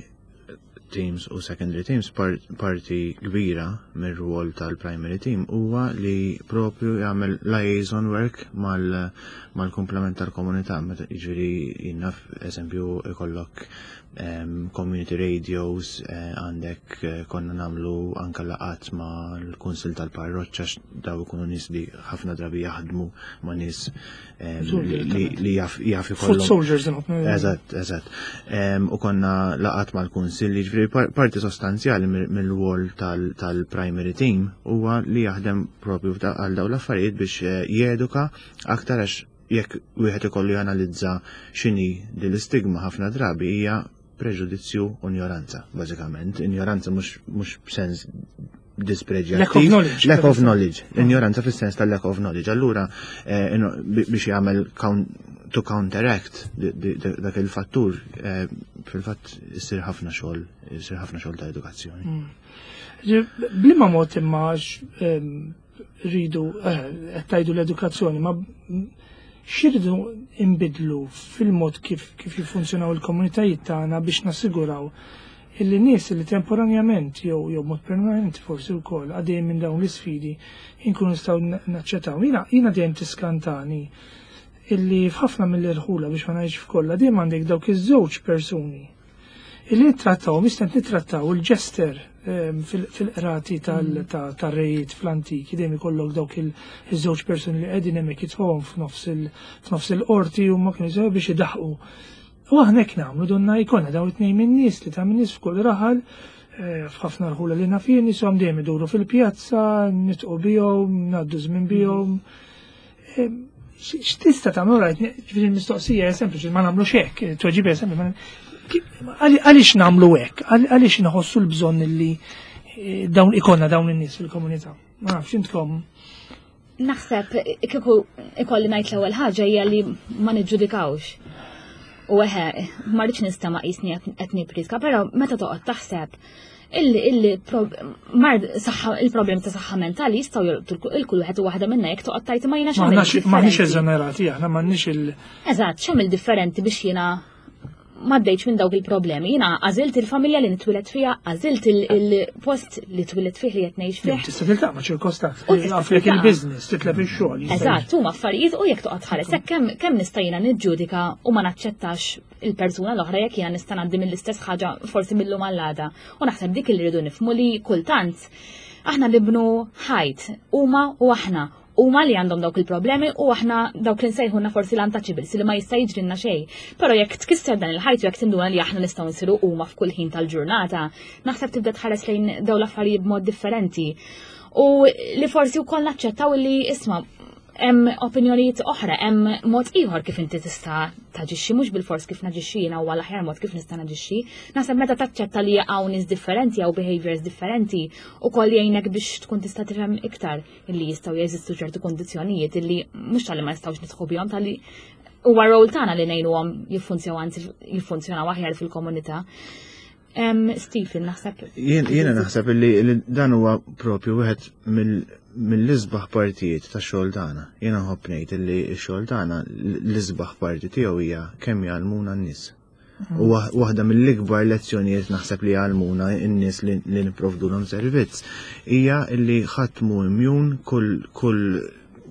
teams u secondary teams, parti kbira mir-rwol tal-primary team huwa li propju jagħmel liaison work mal-komplement tal-komunità. Jiġifieri jien naf, eżempju, ikollok community radios, eh, għandek eh, konna nagħmlu anka laqgħat ma' l-kunsil tal-parroċċa, daw ikunu nies li ħafna drabi jaħdmu ma' nies li jaf ikollhom. Foot soldiers. Eżatt, eżatt. U konna laqgħat mal-kunsil, jiġifieri parti sostanzjali mill-rwol tal-primary team huwa li jaħdem propju għal daw l-affarijiet biex eh, jeduka aktar, għax jekk wieħed ikollu janalizza x'inhi din l-istigma, ħafna drabi hija preġudizzju u ignoranza, bażikament. Ignoranza mhux b'sens dispreġjattiv. Lack of knowledge. Lack of knowledge. Ignoranza fis-sens tal-lack of knowledge. Allura eh, biex jagħmel to counteract dak il-fattur, eh, fil-fatt issir ħafna xogħol, issir ħafna xogħol ta' edukazzjoni. Mm. B'liema mod imma rridu, eh, qed tgħidu l-edukazzjoni, ma x'irridu imbidlu fil-mod kif kif jiffunzjonaw il-komunitajiet tagħna biex nassiguraw illi nies li temporanjament jew jew mod permanenti forsi wkoll għaddejjin minn dawn l-isfidi inkunu nistgħu naċċettaw? Jiena jiena dejjem tiskantani illi f'ħafna mill-irħula, biex ma ngħidx f'kollha, dejjem għandek dawk iż-żewġ persuni illi nittrattaw, mistent nittrattaw il-jester ehm, fil-qrati tal-rejiet fl-antiki, dejjem ikollok dawk il-żewġ persuni li qegħdin hemmhekk jitfgħuhom f'nofs il-qorti u ma kienu biex idaħqu. U aħna hekk nagħmlu, donna jkollna dawn it-tnejn min-nies li ta' min-nies f'kull raħal, eh, f'ħafna rħula li naf jien, nieshom dejjem iduru fil-pjazza, nidħqu bihom, ngħaddu żmien bihom. Eh, x'tista' tagħmel, rajt, ġifieri l-mistoqsija hija sempliċi, ma nagħmlux hekk, tweġiba hija sempliċi. Għaliex nagħmlu hekk? Għaliex nħossu l-bżonn li eh, dawn ikollna dawn in-nies fil-komunità? Ma nafx intkom. Naħseb kieku ikolli ngħid, l-ewwel ħaġa hija li ma niġġudikawx. U eħe, ma rridx nistama' qisni qed nippritka, però meta toqgħod taħseb il-problemi ta' saħħa mentali jistgħu jolqtu il-kull wieħed u waħda minna, jekk toqgħod tgħid ma jiena x'għamil. M'aħniex eżonerati aħna, m'għandniex il- Eżatt, x'għamil differenti biex jiena m'għaddejtx minn dawk il-problemi? Jiena għażilt il-familja li nitwieled fiha, għażilt il-post li twieled fih li qed ngħix fih. Tista' tiltaqa' ma' ċirkostanzi, għaflek il-business, titlef ix-xogħol. Eżatt, huma affarijiet u jekk toqgħod tħares hekk kemm kemm nista' jiena niġġudika u ma naċċettax il-persuna l-oħra jekk jiena nista' ngħaddi mill-istess ħaġa forsi mill-lum għall-għada? U naħseb dik li rridu nifhmu, li kultant aħna nibnu ħajt huma u aħna. Huma li għandhom dawk il-problemi u aħna dawk li nsejħulna forsi l-untouchables li ma jista' jiġrilna xejn. Però jekk tkisser dan il-ħajt u jekk tinduna li aħna nistgħu nsiru huma f'kull ħin tal-ġurnata, naħseb tibda tħares lejn dawn l-affarijiet b'mod differenti. U li forsi wkoll naċċettaw li, isma', hemm opinjonijiet oħra, hemm mod ieħor kif inti tista' taġixxi, mhux bil-fors kif naġixxi jiena huwa l-aħjar mod kif nista' naġixxi. Naħseb meta taċċetta li hawn nies differenti jew behaviors differenti ukoll jgħinek biex tkun tista' tifhem iktar illi jistgħu jeżistu ċertu kondizzjonijiet illi mhux tal-li ma nistgħux nidħku bihom, tal-li huwa rol tagħna li ngħinuhom jiffunzjonaw, anzi jiffunzjonaw aħjar fil-komunità. Stephen, naħseb. Jiena naħseb li dan huwa propju wieħed mill-isbaħ partijiet ta' xogħol tagħna. Jiena nħobb ngħid li x-xogħol tagħna, l-isbaħ parti tiegħu hija kemm jgħallmuna n-nies. U waħda mill-ikbar lezzjonijiet naħseb li jgħallmuna n-nies li nipprovdulhom servizz hija li ħadd mhu immune, kull kull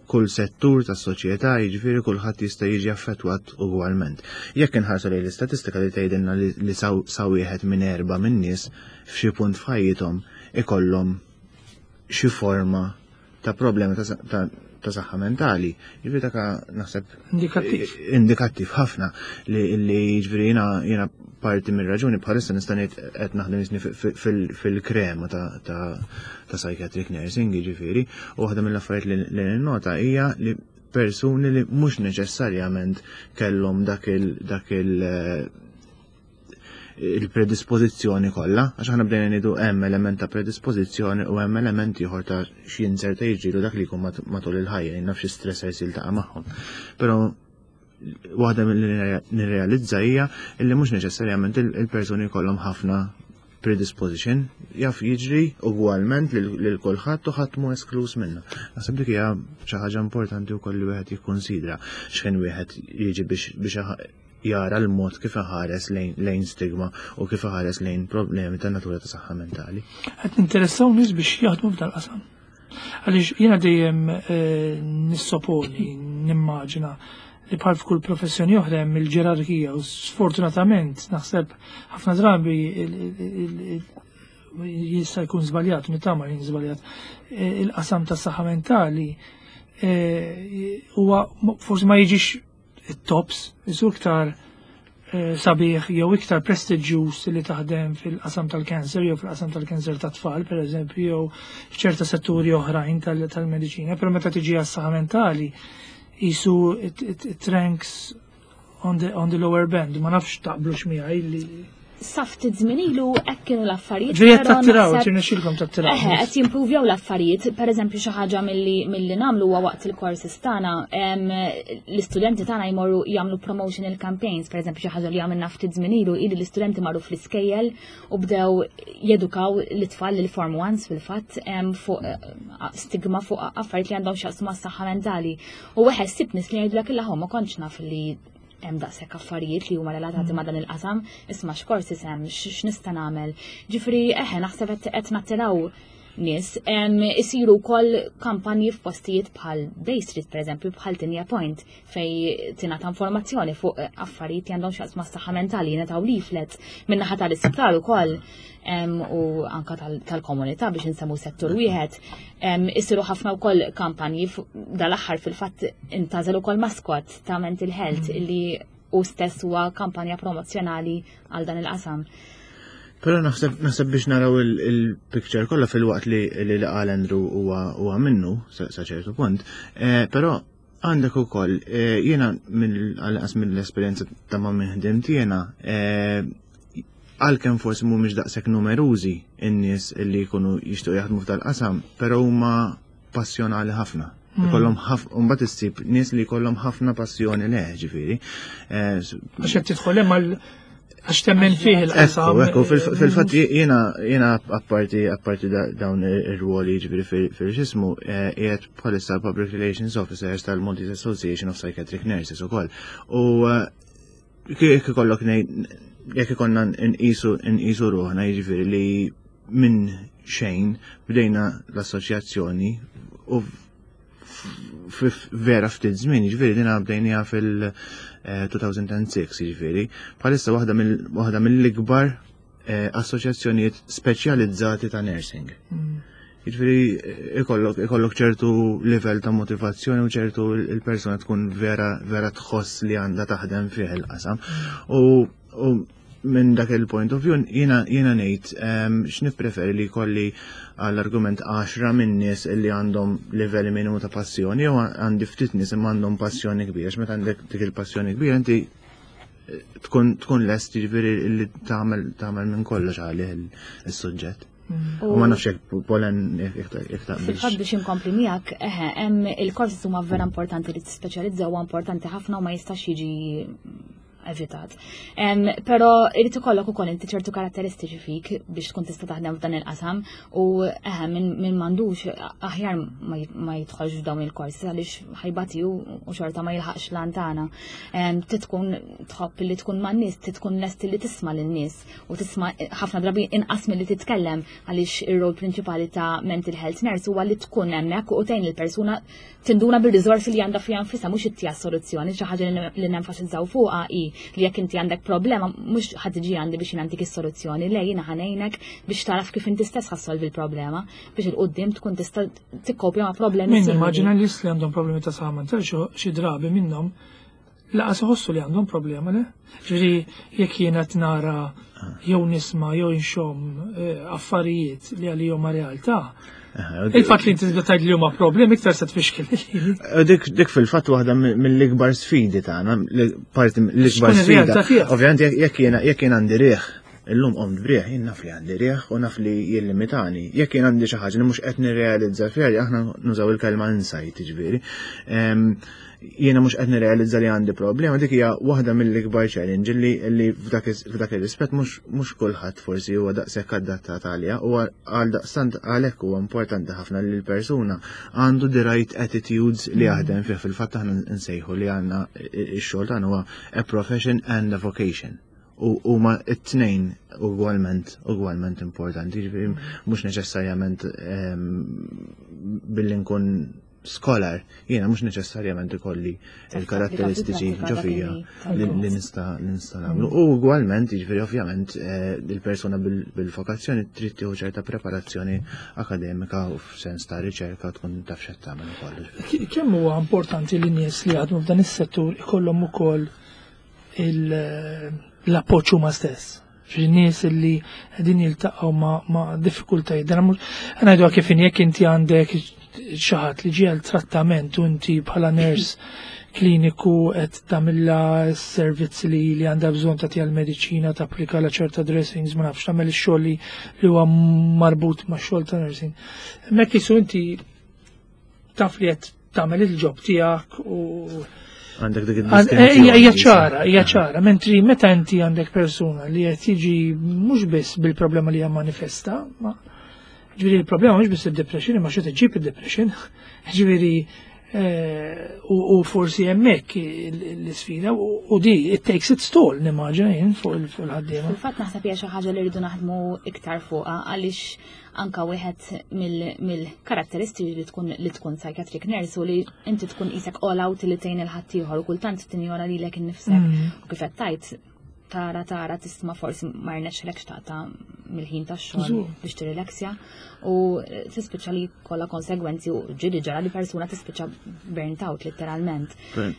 kull settur tas soċjetà, jiġifieri kulħadd jista' jiġi affettwat ugwalment. Jekk inħarsu lejn l-istatistika li tgħidilna li sa wieħed minn erba' minn nies f'xi punt f'ħajjithom ikollhom xi forma ta' problemi ta' saħħa mentali. Jiġifieri dak naħseb indikattiv. Indikattiv ħafna li jiġifieri jiena jiena parti mir-raġuni bħalissa nista' ngħid qed naħdem jisni fil-krema ta' psychiatric nursing, jiġifieri, u waħda mill-affarijiet li ninnota hija li persuni li mhux neċessarjament kellhom dak il dak il il-predispożizzjoni kollha, għax aħna bdejna ngħidu hemm element ta' predispożizzjoni u hemm element ieħor ta' x'jinzerta jiġrilu dak li jkun matul il-ħajja, naf xi stressors jiltaqa' magħhom. Però waħda mill nirrealizza hija illi mhux neċessarjament il-persuni jkollhom ħafna predisposition, jaf jiġri ugwalment lil kulħadd u ħadd mhu esklus minna. Naħseb dik hija xi ħaġa importanti wkoll li wieħed jikkonsidra x'ħin wieħed jiġi biex biex jara l-mod kif iħares lejn stigma u kif iħares lejn problemi ta' natura ta' saħħa mentali. Qed ninteressaw nies biex jaħdmu f'dal qasam. Għaliex jiena dejjem eh, nissoponi, nimmaġina li bħal f'kull professjoni oħra hemm il-ġerarkija u sfortunatament naħseb ħafna drabi jista' jkun żbaljat, nittama li żbaljat, eh, il-qasam tas-saħħa mentali eh, huwa forsi ma jiġix it-tops, isu iktar eh, sabiħ jew iktar prestiġjuż li taħdem fil-qasam tal-kanser jew fil-qasam tal-kanser ta' tfal, per eżempju, jew f'ċerta setturi oħrajn tal-mediċina, però meta tiġi għas-saħħa mentali jisu it ranks on the, on the lower band, ma nafx taqblux miegħi li Sa ftit żmien ilu hekk kienu l-affarijiet. Ġejjed tattiraw, tirnexxilkom tattiraw. Eħe, qed jimprovjaw l-affarijiet. Per eżempju, xi ħaġa milli milli nagħmlu huwa waqt il-courses tagħna, l-istudenti tagħna jmorru jagħmlu promotional campaigns, per eżempju, xi ħaġa li għamilna ftit żmien ilu ili l-istudenti marru fl-iskejjel u bdew jedukaw l-itfal, l-form ones fil-fatt, fuq eh, stigma, fuq affarijiet li għandhom x'jaqsmu mas-saħħa mentali. U wieħed ssib nies li jgħidulek illa ma kontx naf li hemm daqshekk affarijiet li huma relatati ma' dan il-qasam, isma' x'korsi hemm, x'nista' nagħmel. Ġifieri eħe, naħseb qed nattiraw nies. Isiru wkoll kampanji f'postijiet bħal Bay Street, pereżempju, bħal Tigne Point, fej tingħata informazzjoni fuq affarijiet li għandhom x'jaqsmu mas-saħħa mentali, jingħataw leaflets min-naħa tal-isptar ukoll u anka tal-komunità biex insemmu settur wieħed. Isiru ħafna wkoll kampanji. Dal-aħħar fil-fatt intgħażel ukoll mascot ta' mental health mm. illi u stess huwa kampanja promozzjonali għal dan il-qasam. Però naħseb naħseb biex naraw il-picture kollha, fil-waqt li li qal Andrew huwa minnu sa ċertu punt, eh, però għandek ukoll eh, jiena mill mill-esperjenza ta' ma' min ħdimt jiena, eh, għalkemm forsi mhumiex daqshekk numerużi in-nies li jkunu jixtiequ jaħdmu f'dal-qasam, però huma passjonali ħafna. Hmm. Ikollhom ħafna, mbagħad issib nies li jkollhom ħafna passjoni le, ġifieri. Għax qed tidħol hemm għax temmen fih il-qasam. Ekku, fil-fatt jiena jiena apparti apparti dawn ir-ruoli, ġifieri fil-xismu, eh, qiegħed bħalissa Public Relations Officers tal-Maltese Association of Psychiatric Nurses ukoll. U eh, jekk ikollok jekk ikollna nqisu nqisu ruħna, jiġifieri li minn xejn bdejna l-assoċjazzjoni u vera ftit żmien, jiġifieri dina bdejniha fil-elfejn u sitta, jiġifieri bħalissa waħda mill-ikbar eh, assoċjazzjonijiet speċjalizzati ta' nursing. Mm. Jiġifieri ikollok ikollok ċertu livell ta' motivazzjoni u ċertu il-persuna tkun vera vera tħoss li għandha taħdem fih il-qasam. U, u minn dak il-point of view jiena jiena ngħid em, x'nippreferi li jkolli għall-argument għaxra minn nies li għandhom livelli minimu ta' passjoni jew għandi ftit nies imma għandhom passjoni kbira. Għax meta għandek dik il-passjoni kbira, inti tkun tkun lest, jiġifieri, li tagħmel tagħmel minn kollox għalih il-suġġett. U ma nafx jekk Polen jekk taqbilx. Fil-fatt, biex inkompli miegħek, eħe, hemm il-korsi huma vera importanti, li tispeċjalizza huwa importanti ħafna u ma jistax jiġi evitat. Em, Però irid ikollok ukoll inti ċertu karatteristiċi fik biex tkun tista' taħdem f'dan il-qasam u eħe, min min m'għandux aħjar ma j- ma jidħolx f'dawn il-korsi għaliex ħa jbati u u xorta ma jilħaqx l-għan tagħna. Em, Tkun tħobb li tkun man-nies, tkun lest li tisma' lin-nies u tisma' ħafna drabi inqas milli titkellem, għaliex ir-rol prinċipali ta' mental health nurse huwa li tkun hemmhekk u tgħin il-persuna tinduna bil-riżorsi li għandha fiha nfisha, mhux ittiha soluzzjoni. Xi ħaġa li li nenfasizzaw fuqha hi li jekk inti għandek problema, mhux ħa tiġi għandi biex nagħtik is-soluzzjoni, le, jiena ħa ngħinek biex taraf kif inti stess ħa ssolvi l-problema biex 'il quddiem tkun tista' tikkopja ma' problemi Min simili. Immaġina li li għandhom problemi ta' saħħa mentali xi drabi minnhom lanqas iħossu li għandhom problema, le? Ġifieri jekk jiena qed nara jew nisma' jew inxomm eh, affarijiet li għalihom ma realtà. Il-fatt li inti tibda tgħid li huma problemi iktar se tfixkel. Dik dik fil-fatt waħda mill-ikbar sfidi tagħna, li- parti mill-ikbar X'tkun sfida. ir-realtà tiegħek. Ovvjament jekk jekk jiena jekk jien għandi riħ, illum qomt b'riħ, jien naf li għandi riħ u naf li jillimitani. Jekk jien għandi xi ħaġa li mhux qed nirrealizza fiha, li aħna nużaw il-kelma insight, ġifieri. Em, Jiena mhux qed nirrealizza li għandi problema, dik hija waħda mill-ikbar challenge li li f'dak is- f'dak ir-rispett mhux mhux kulħadd forsi huwa daqshekk adattat għaliha u għal daqstant għalhekk huwa importanti ħafna li l-persuna għandu the right attitudes li jaħdem fih. Fil-fatt aħna nsejħu li għandna ix-xogħol tagħna huwa a profession and a vocation. U huma it-tnejn ugwalment ugwalment importanti, ġifieri mhux neċessarjament em, billi nkun scholar, jiena mhux neċessarjament ikolli il-karatteristiċi ġo fija li li nista' li nista' nagħmlu. U ugwalment, jiġifieri ovvjament eh, il-persuna bil- bil-vokazzjoni trid tieħu ċerta preparazzjoni akademika u f'sens ta' riċerka, tkun taf x'qed tagħmel ukoll. K- Kemm huwa importanti li nies li jaħdmu f'dan is-settur ikollhom ukoll il- l-appoġġ huma stess? Ġifieri nies li qegħdin jiltaqgħu ma' ma' diffikultajiet. Dan mhux ngħidu kif in jekk inti għandek xi ħadd li ġie għal trattament u inti bħala nurse kliniku qed tagħmilha s-servizzi li li għandha bżonn, tagħtiha l-mediċina, tapplika la ċerta dressings, ma nafx, tagħmel ix-xogħol li li huwa marbut ma' xogħol ta' nursing. Hemmhekk jisu inti taf li qed tagħmel il-job tiegħek u Għandek dik Għan- eh, id-distinzjoni. Hija hija ċara, hija ċara, mentri meta inti għandek persuna li qed jiġi mhux biss bil-problema li hija manifesta, ma ġifieri il-problema mhux biss id-depression, ma xi tiġib id-depression, ġifieri eh, u u forsi hemmhekk l-isfida u u di it takes its toll, nimmaġina jien, fuq il- fuq il-ħaddiema. Fil-fatt naħseb hija xi ħaġa li rridu naħdmu iktar fuqha, għaliex anka wieħed mill-karatteristiċi li tkun li tkun psychiatric nurse u li inti tkun qisek all out li tgħin il-ħaddieħor u kultant tinjora lilek innifsek. Mm. U kif qed tajt tara tara tisma' forsi ma rnexxilekx taqta' mill-ħin tax-xogħol Żgur. biex tirrilaxja u tispiċċa li kollha konsegwenzi u ġieli ġara li persuna tispiċċa burnt out letteralment. Per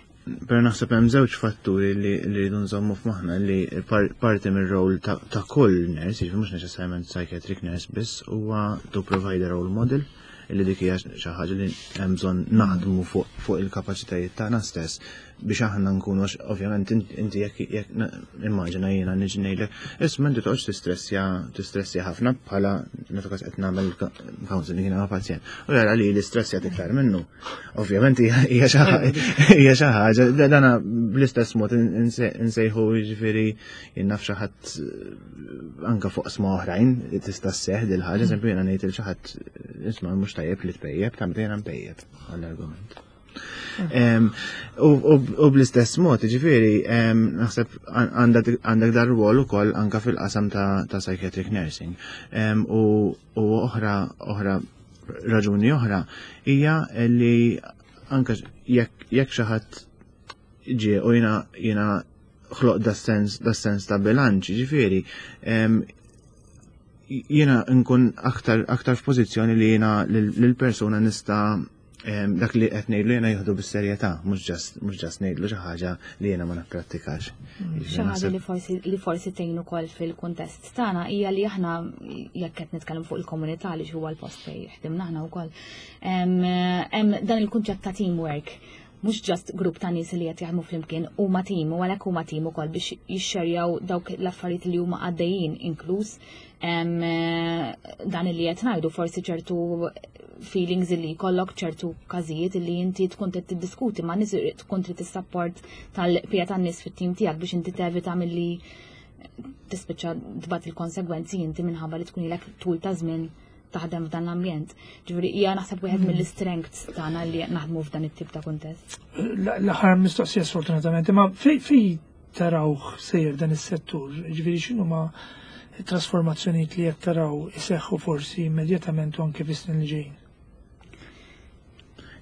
per naħseb hemm żewġ fatturi li li rridu nżommu f'moħħna, li par- parti mir-rol ta' ta' kull nurse, jiġifieri mhux neċessarjament psychiatric nurse biss, huwa to provide a role model, illi dik hija xi ħaġa li hemm bżonn naħdmu fuq fuq il-kapaċitajiet tagħna stess biex aħna nkunu, għax ovvjament inti jekk jekk na- immaġina jiena niġi ngħidlek, "Isma', inti toqgħodx tistressja tistressja ħafna," bħala meta kas qed nagħmel counseling jiena ma' pazjent. U jara li l-istressja iktar minnu. Ovvjament hija hija xi ħa- hija xi ħaġa dana bl-istess mod insejħu, jiġifieri jien naf xi ħadd anka fuq sma oħrajn tista' sseħħ dil ħaġa, eżempju jiena ngħid il xi ħadd, "Isma', mhux tajjeb li tpejjeb," ta' meta jiena npejjeb għall-argument. Em, U u- u bl-istess mod, ġifieri, em, naħseb għandek għandek dar rwol ukoll anka fil-qasam ta' ta' psychiatric nursing. Em, U u oħra oħra raġuni oħra hija li anka jekk jekk xi ħadd ġie u jiena jiena ħloq da sens da sens ta' bilanċ, ġifieri, em, Jiena nkun aktar aktar f'pożizzjoni li jiena lill-persuna nista' dak li qed ngħidlu jiena jieħdu bis-serjetà, mhux just mhux just ngħidlu xi ħaġa li jiena ma napprattikax. Xi ħaġa li forsi li forsi tgħin ukoll fil-kuntest tagħna hija li aħna, jekk qed nitkellem fuq il-komunità li huwa l-post fejn ħdimna aħna wkoll, hemm dan il-kunċett ta' teamwork, mhux just grupp ta' nies li qed jaħdmu flimkien, huma team, u għalhekk huma team ukoll biex jixxerjaw dawk l-affarijiet li huma għaddejjin, inkluż dan li qed ngħidu, forsi ċertu feelings li jkollok, ċertu każijiet li inti tkun trid tiddiskuti ma' nies, tkun trid is-support tal-bqija tan-nies fit-tim tiegħek biex inti tevita milli tispiċċa tbati il-konsegwenzi inti minħabba li tkun ilek tul ta' żmien taħdem f'dan l-ambjent. Ġifieri hija naħseb wieħed mm. mill-strengths tagħna li naħdmu f'dan it-tip ta' kuntest. L-aħħar mistoqsija sfortunatament, imma fej tarawh sejjer dan is-settur, ġifieri x'inhuma trasformazzjonijiet li qed taraw iseħħu forsi immedjatament u anke fis-snin li ġejjin?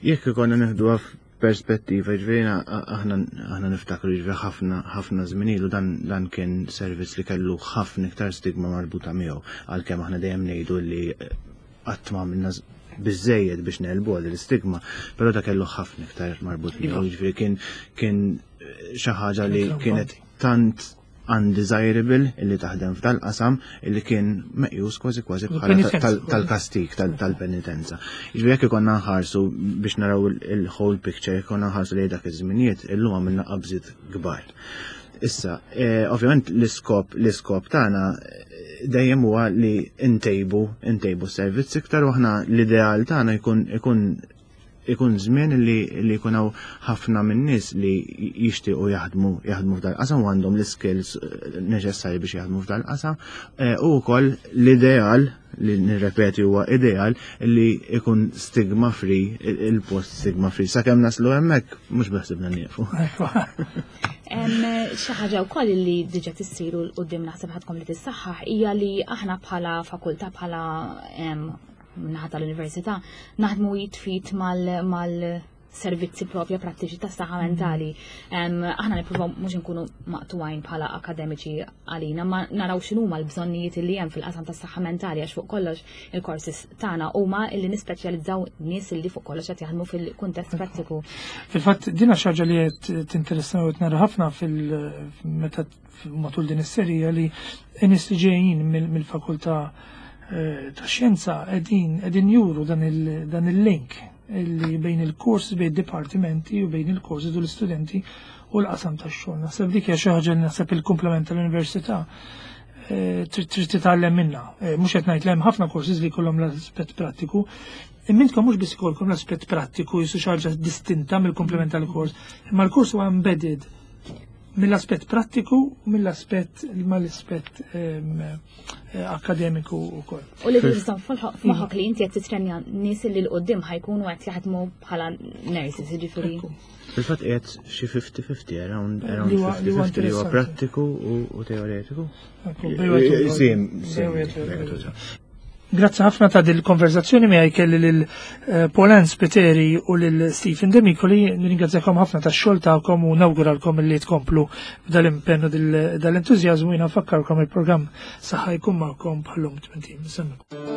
Jekk ikollna neħduha f'perspettiva, ġifieri aħna aħna niftakru, ġifieri ħafna ħafna żmien ilu dan dan kien servizz li kellu ħafna iktar stigma marbuta miegħu, għalkemm aħna dejjem ngħidu li qatt ma għamilna biżejjed biex negħlbu għal l-istigma, però da kellu ħafna iktar marbut miegħu, ġifieri kien kien xi ħaġa li kienet tant undesirable illi taħdem f'dal-qasam illi kien meqjus kważi kważi bħala tal-kastik, tal-penitenza. Ġifieri jekk ikonna nħarsu biex naraw il-whole picture, ikonna nħarsu li dak iż-żminijiet, illum għamilna qabżiet kbar. Issa, eh, ovvjament l-iskop l-iskop tagħna eh, dejjem huwa li ntejbu ntejbu servizz iktar u aħna l-ideal tagħna jkun ikun ikun żmien li li jkun hawn ħafna min-nies li jixtiequ jaħdmu jaħdmu f'dal qasam u għandhom l-skills eh, neċessarji biex jaħdmu f'dal qasam eh, u wkoll l-ideal li nirrepeti huwa ideal li ikun stigma free, il-post stigma free. Sakemm naslu hemmhekk mhux beħsibna nieqfu. Xi ħaġa wkoll li diġà tissiru 'l quddiem, naħseb ħadkom li tissaħħaħ, hija li aħna bħala fakultà, bħala naħa tal-università, naħdmu jitfit mal servizzi propja prattiċi ta' saħħa mentali. Aħna nippruvaw mhux inkunu maqtugħin bħala akademiċi għalina, ma naraw x'inhuma l-bżonnijiet li hemm fil-qasam tas saħħa mentali, għax fuq kollox il-courses tagħna huma illi nispeċjalizzaw nies illi fuq kollox qed jaħdmu fil-kuntest prattiku. Fil-fatt dina xi ħaġa li qed tinteressana u nara ħafna fil-meta matul din is-serija li n-nies li ġejjin mill-fakultà eh, ta' xjenza qegħdin qegħdin juru dan il-link li bejn il-kors, bejn dipartimenti u bejn il-korsi u l-istudenti u l-qasam tax-xogħol. Naħseb dik hija xi ħaġa li naħseb il-komplement tal-università eh, trid titgħallem minnha. Eh, mhux qed ngħid hemm ħafna courses li jkollhom l-aspett prattiku. Imma intkom mhux biss ikollkom l-aspett prattiku jisu xi ħaġa distinta mill-komplement tal-kors, imma l-kors huwa embedded mill-aspett prattiku u mill-aspett mal-aspett eh, akademiku wkoll. U li tżomm f'moħħok li inti qed titrenja nies li 'l quddiem ħa jkunu qed jaħdmu bħala nurses, jiġifieri. Fil-fatt qiegħed xi fifty fifty, around around fifty fifty li huwa prattiku u teoretiku. Sim, sim. Grazzi ħafna ta' dil-konverzazzjoni miegħi kelli lil eh, Pauline Spiteri u lil Stephen Demicoli. Nirringrazzjakom ħafna tax-xogħol tagħkom u nawguralkom li tkomplu b'dal-impenn u dal-entużjażmu. Jiena nfakkarkom, il-programm Saħħa jkun magħkom bħallum tmintim.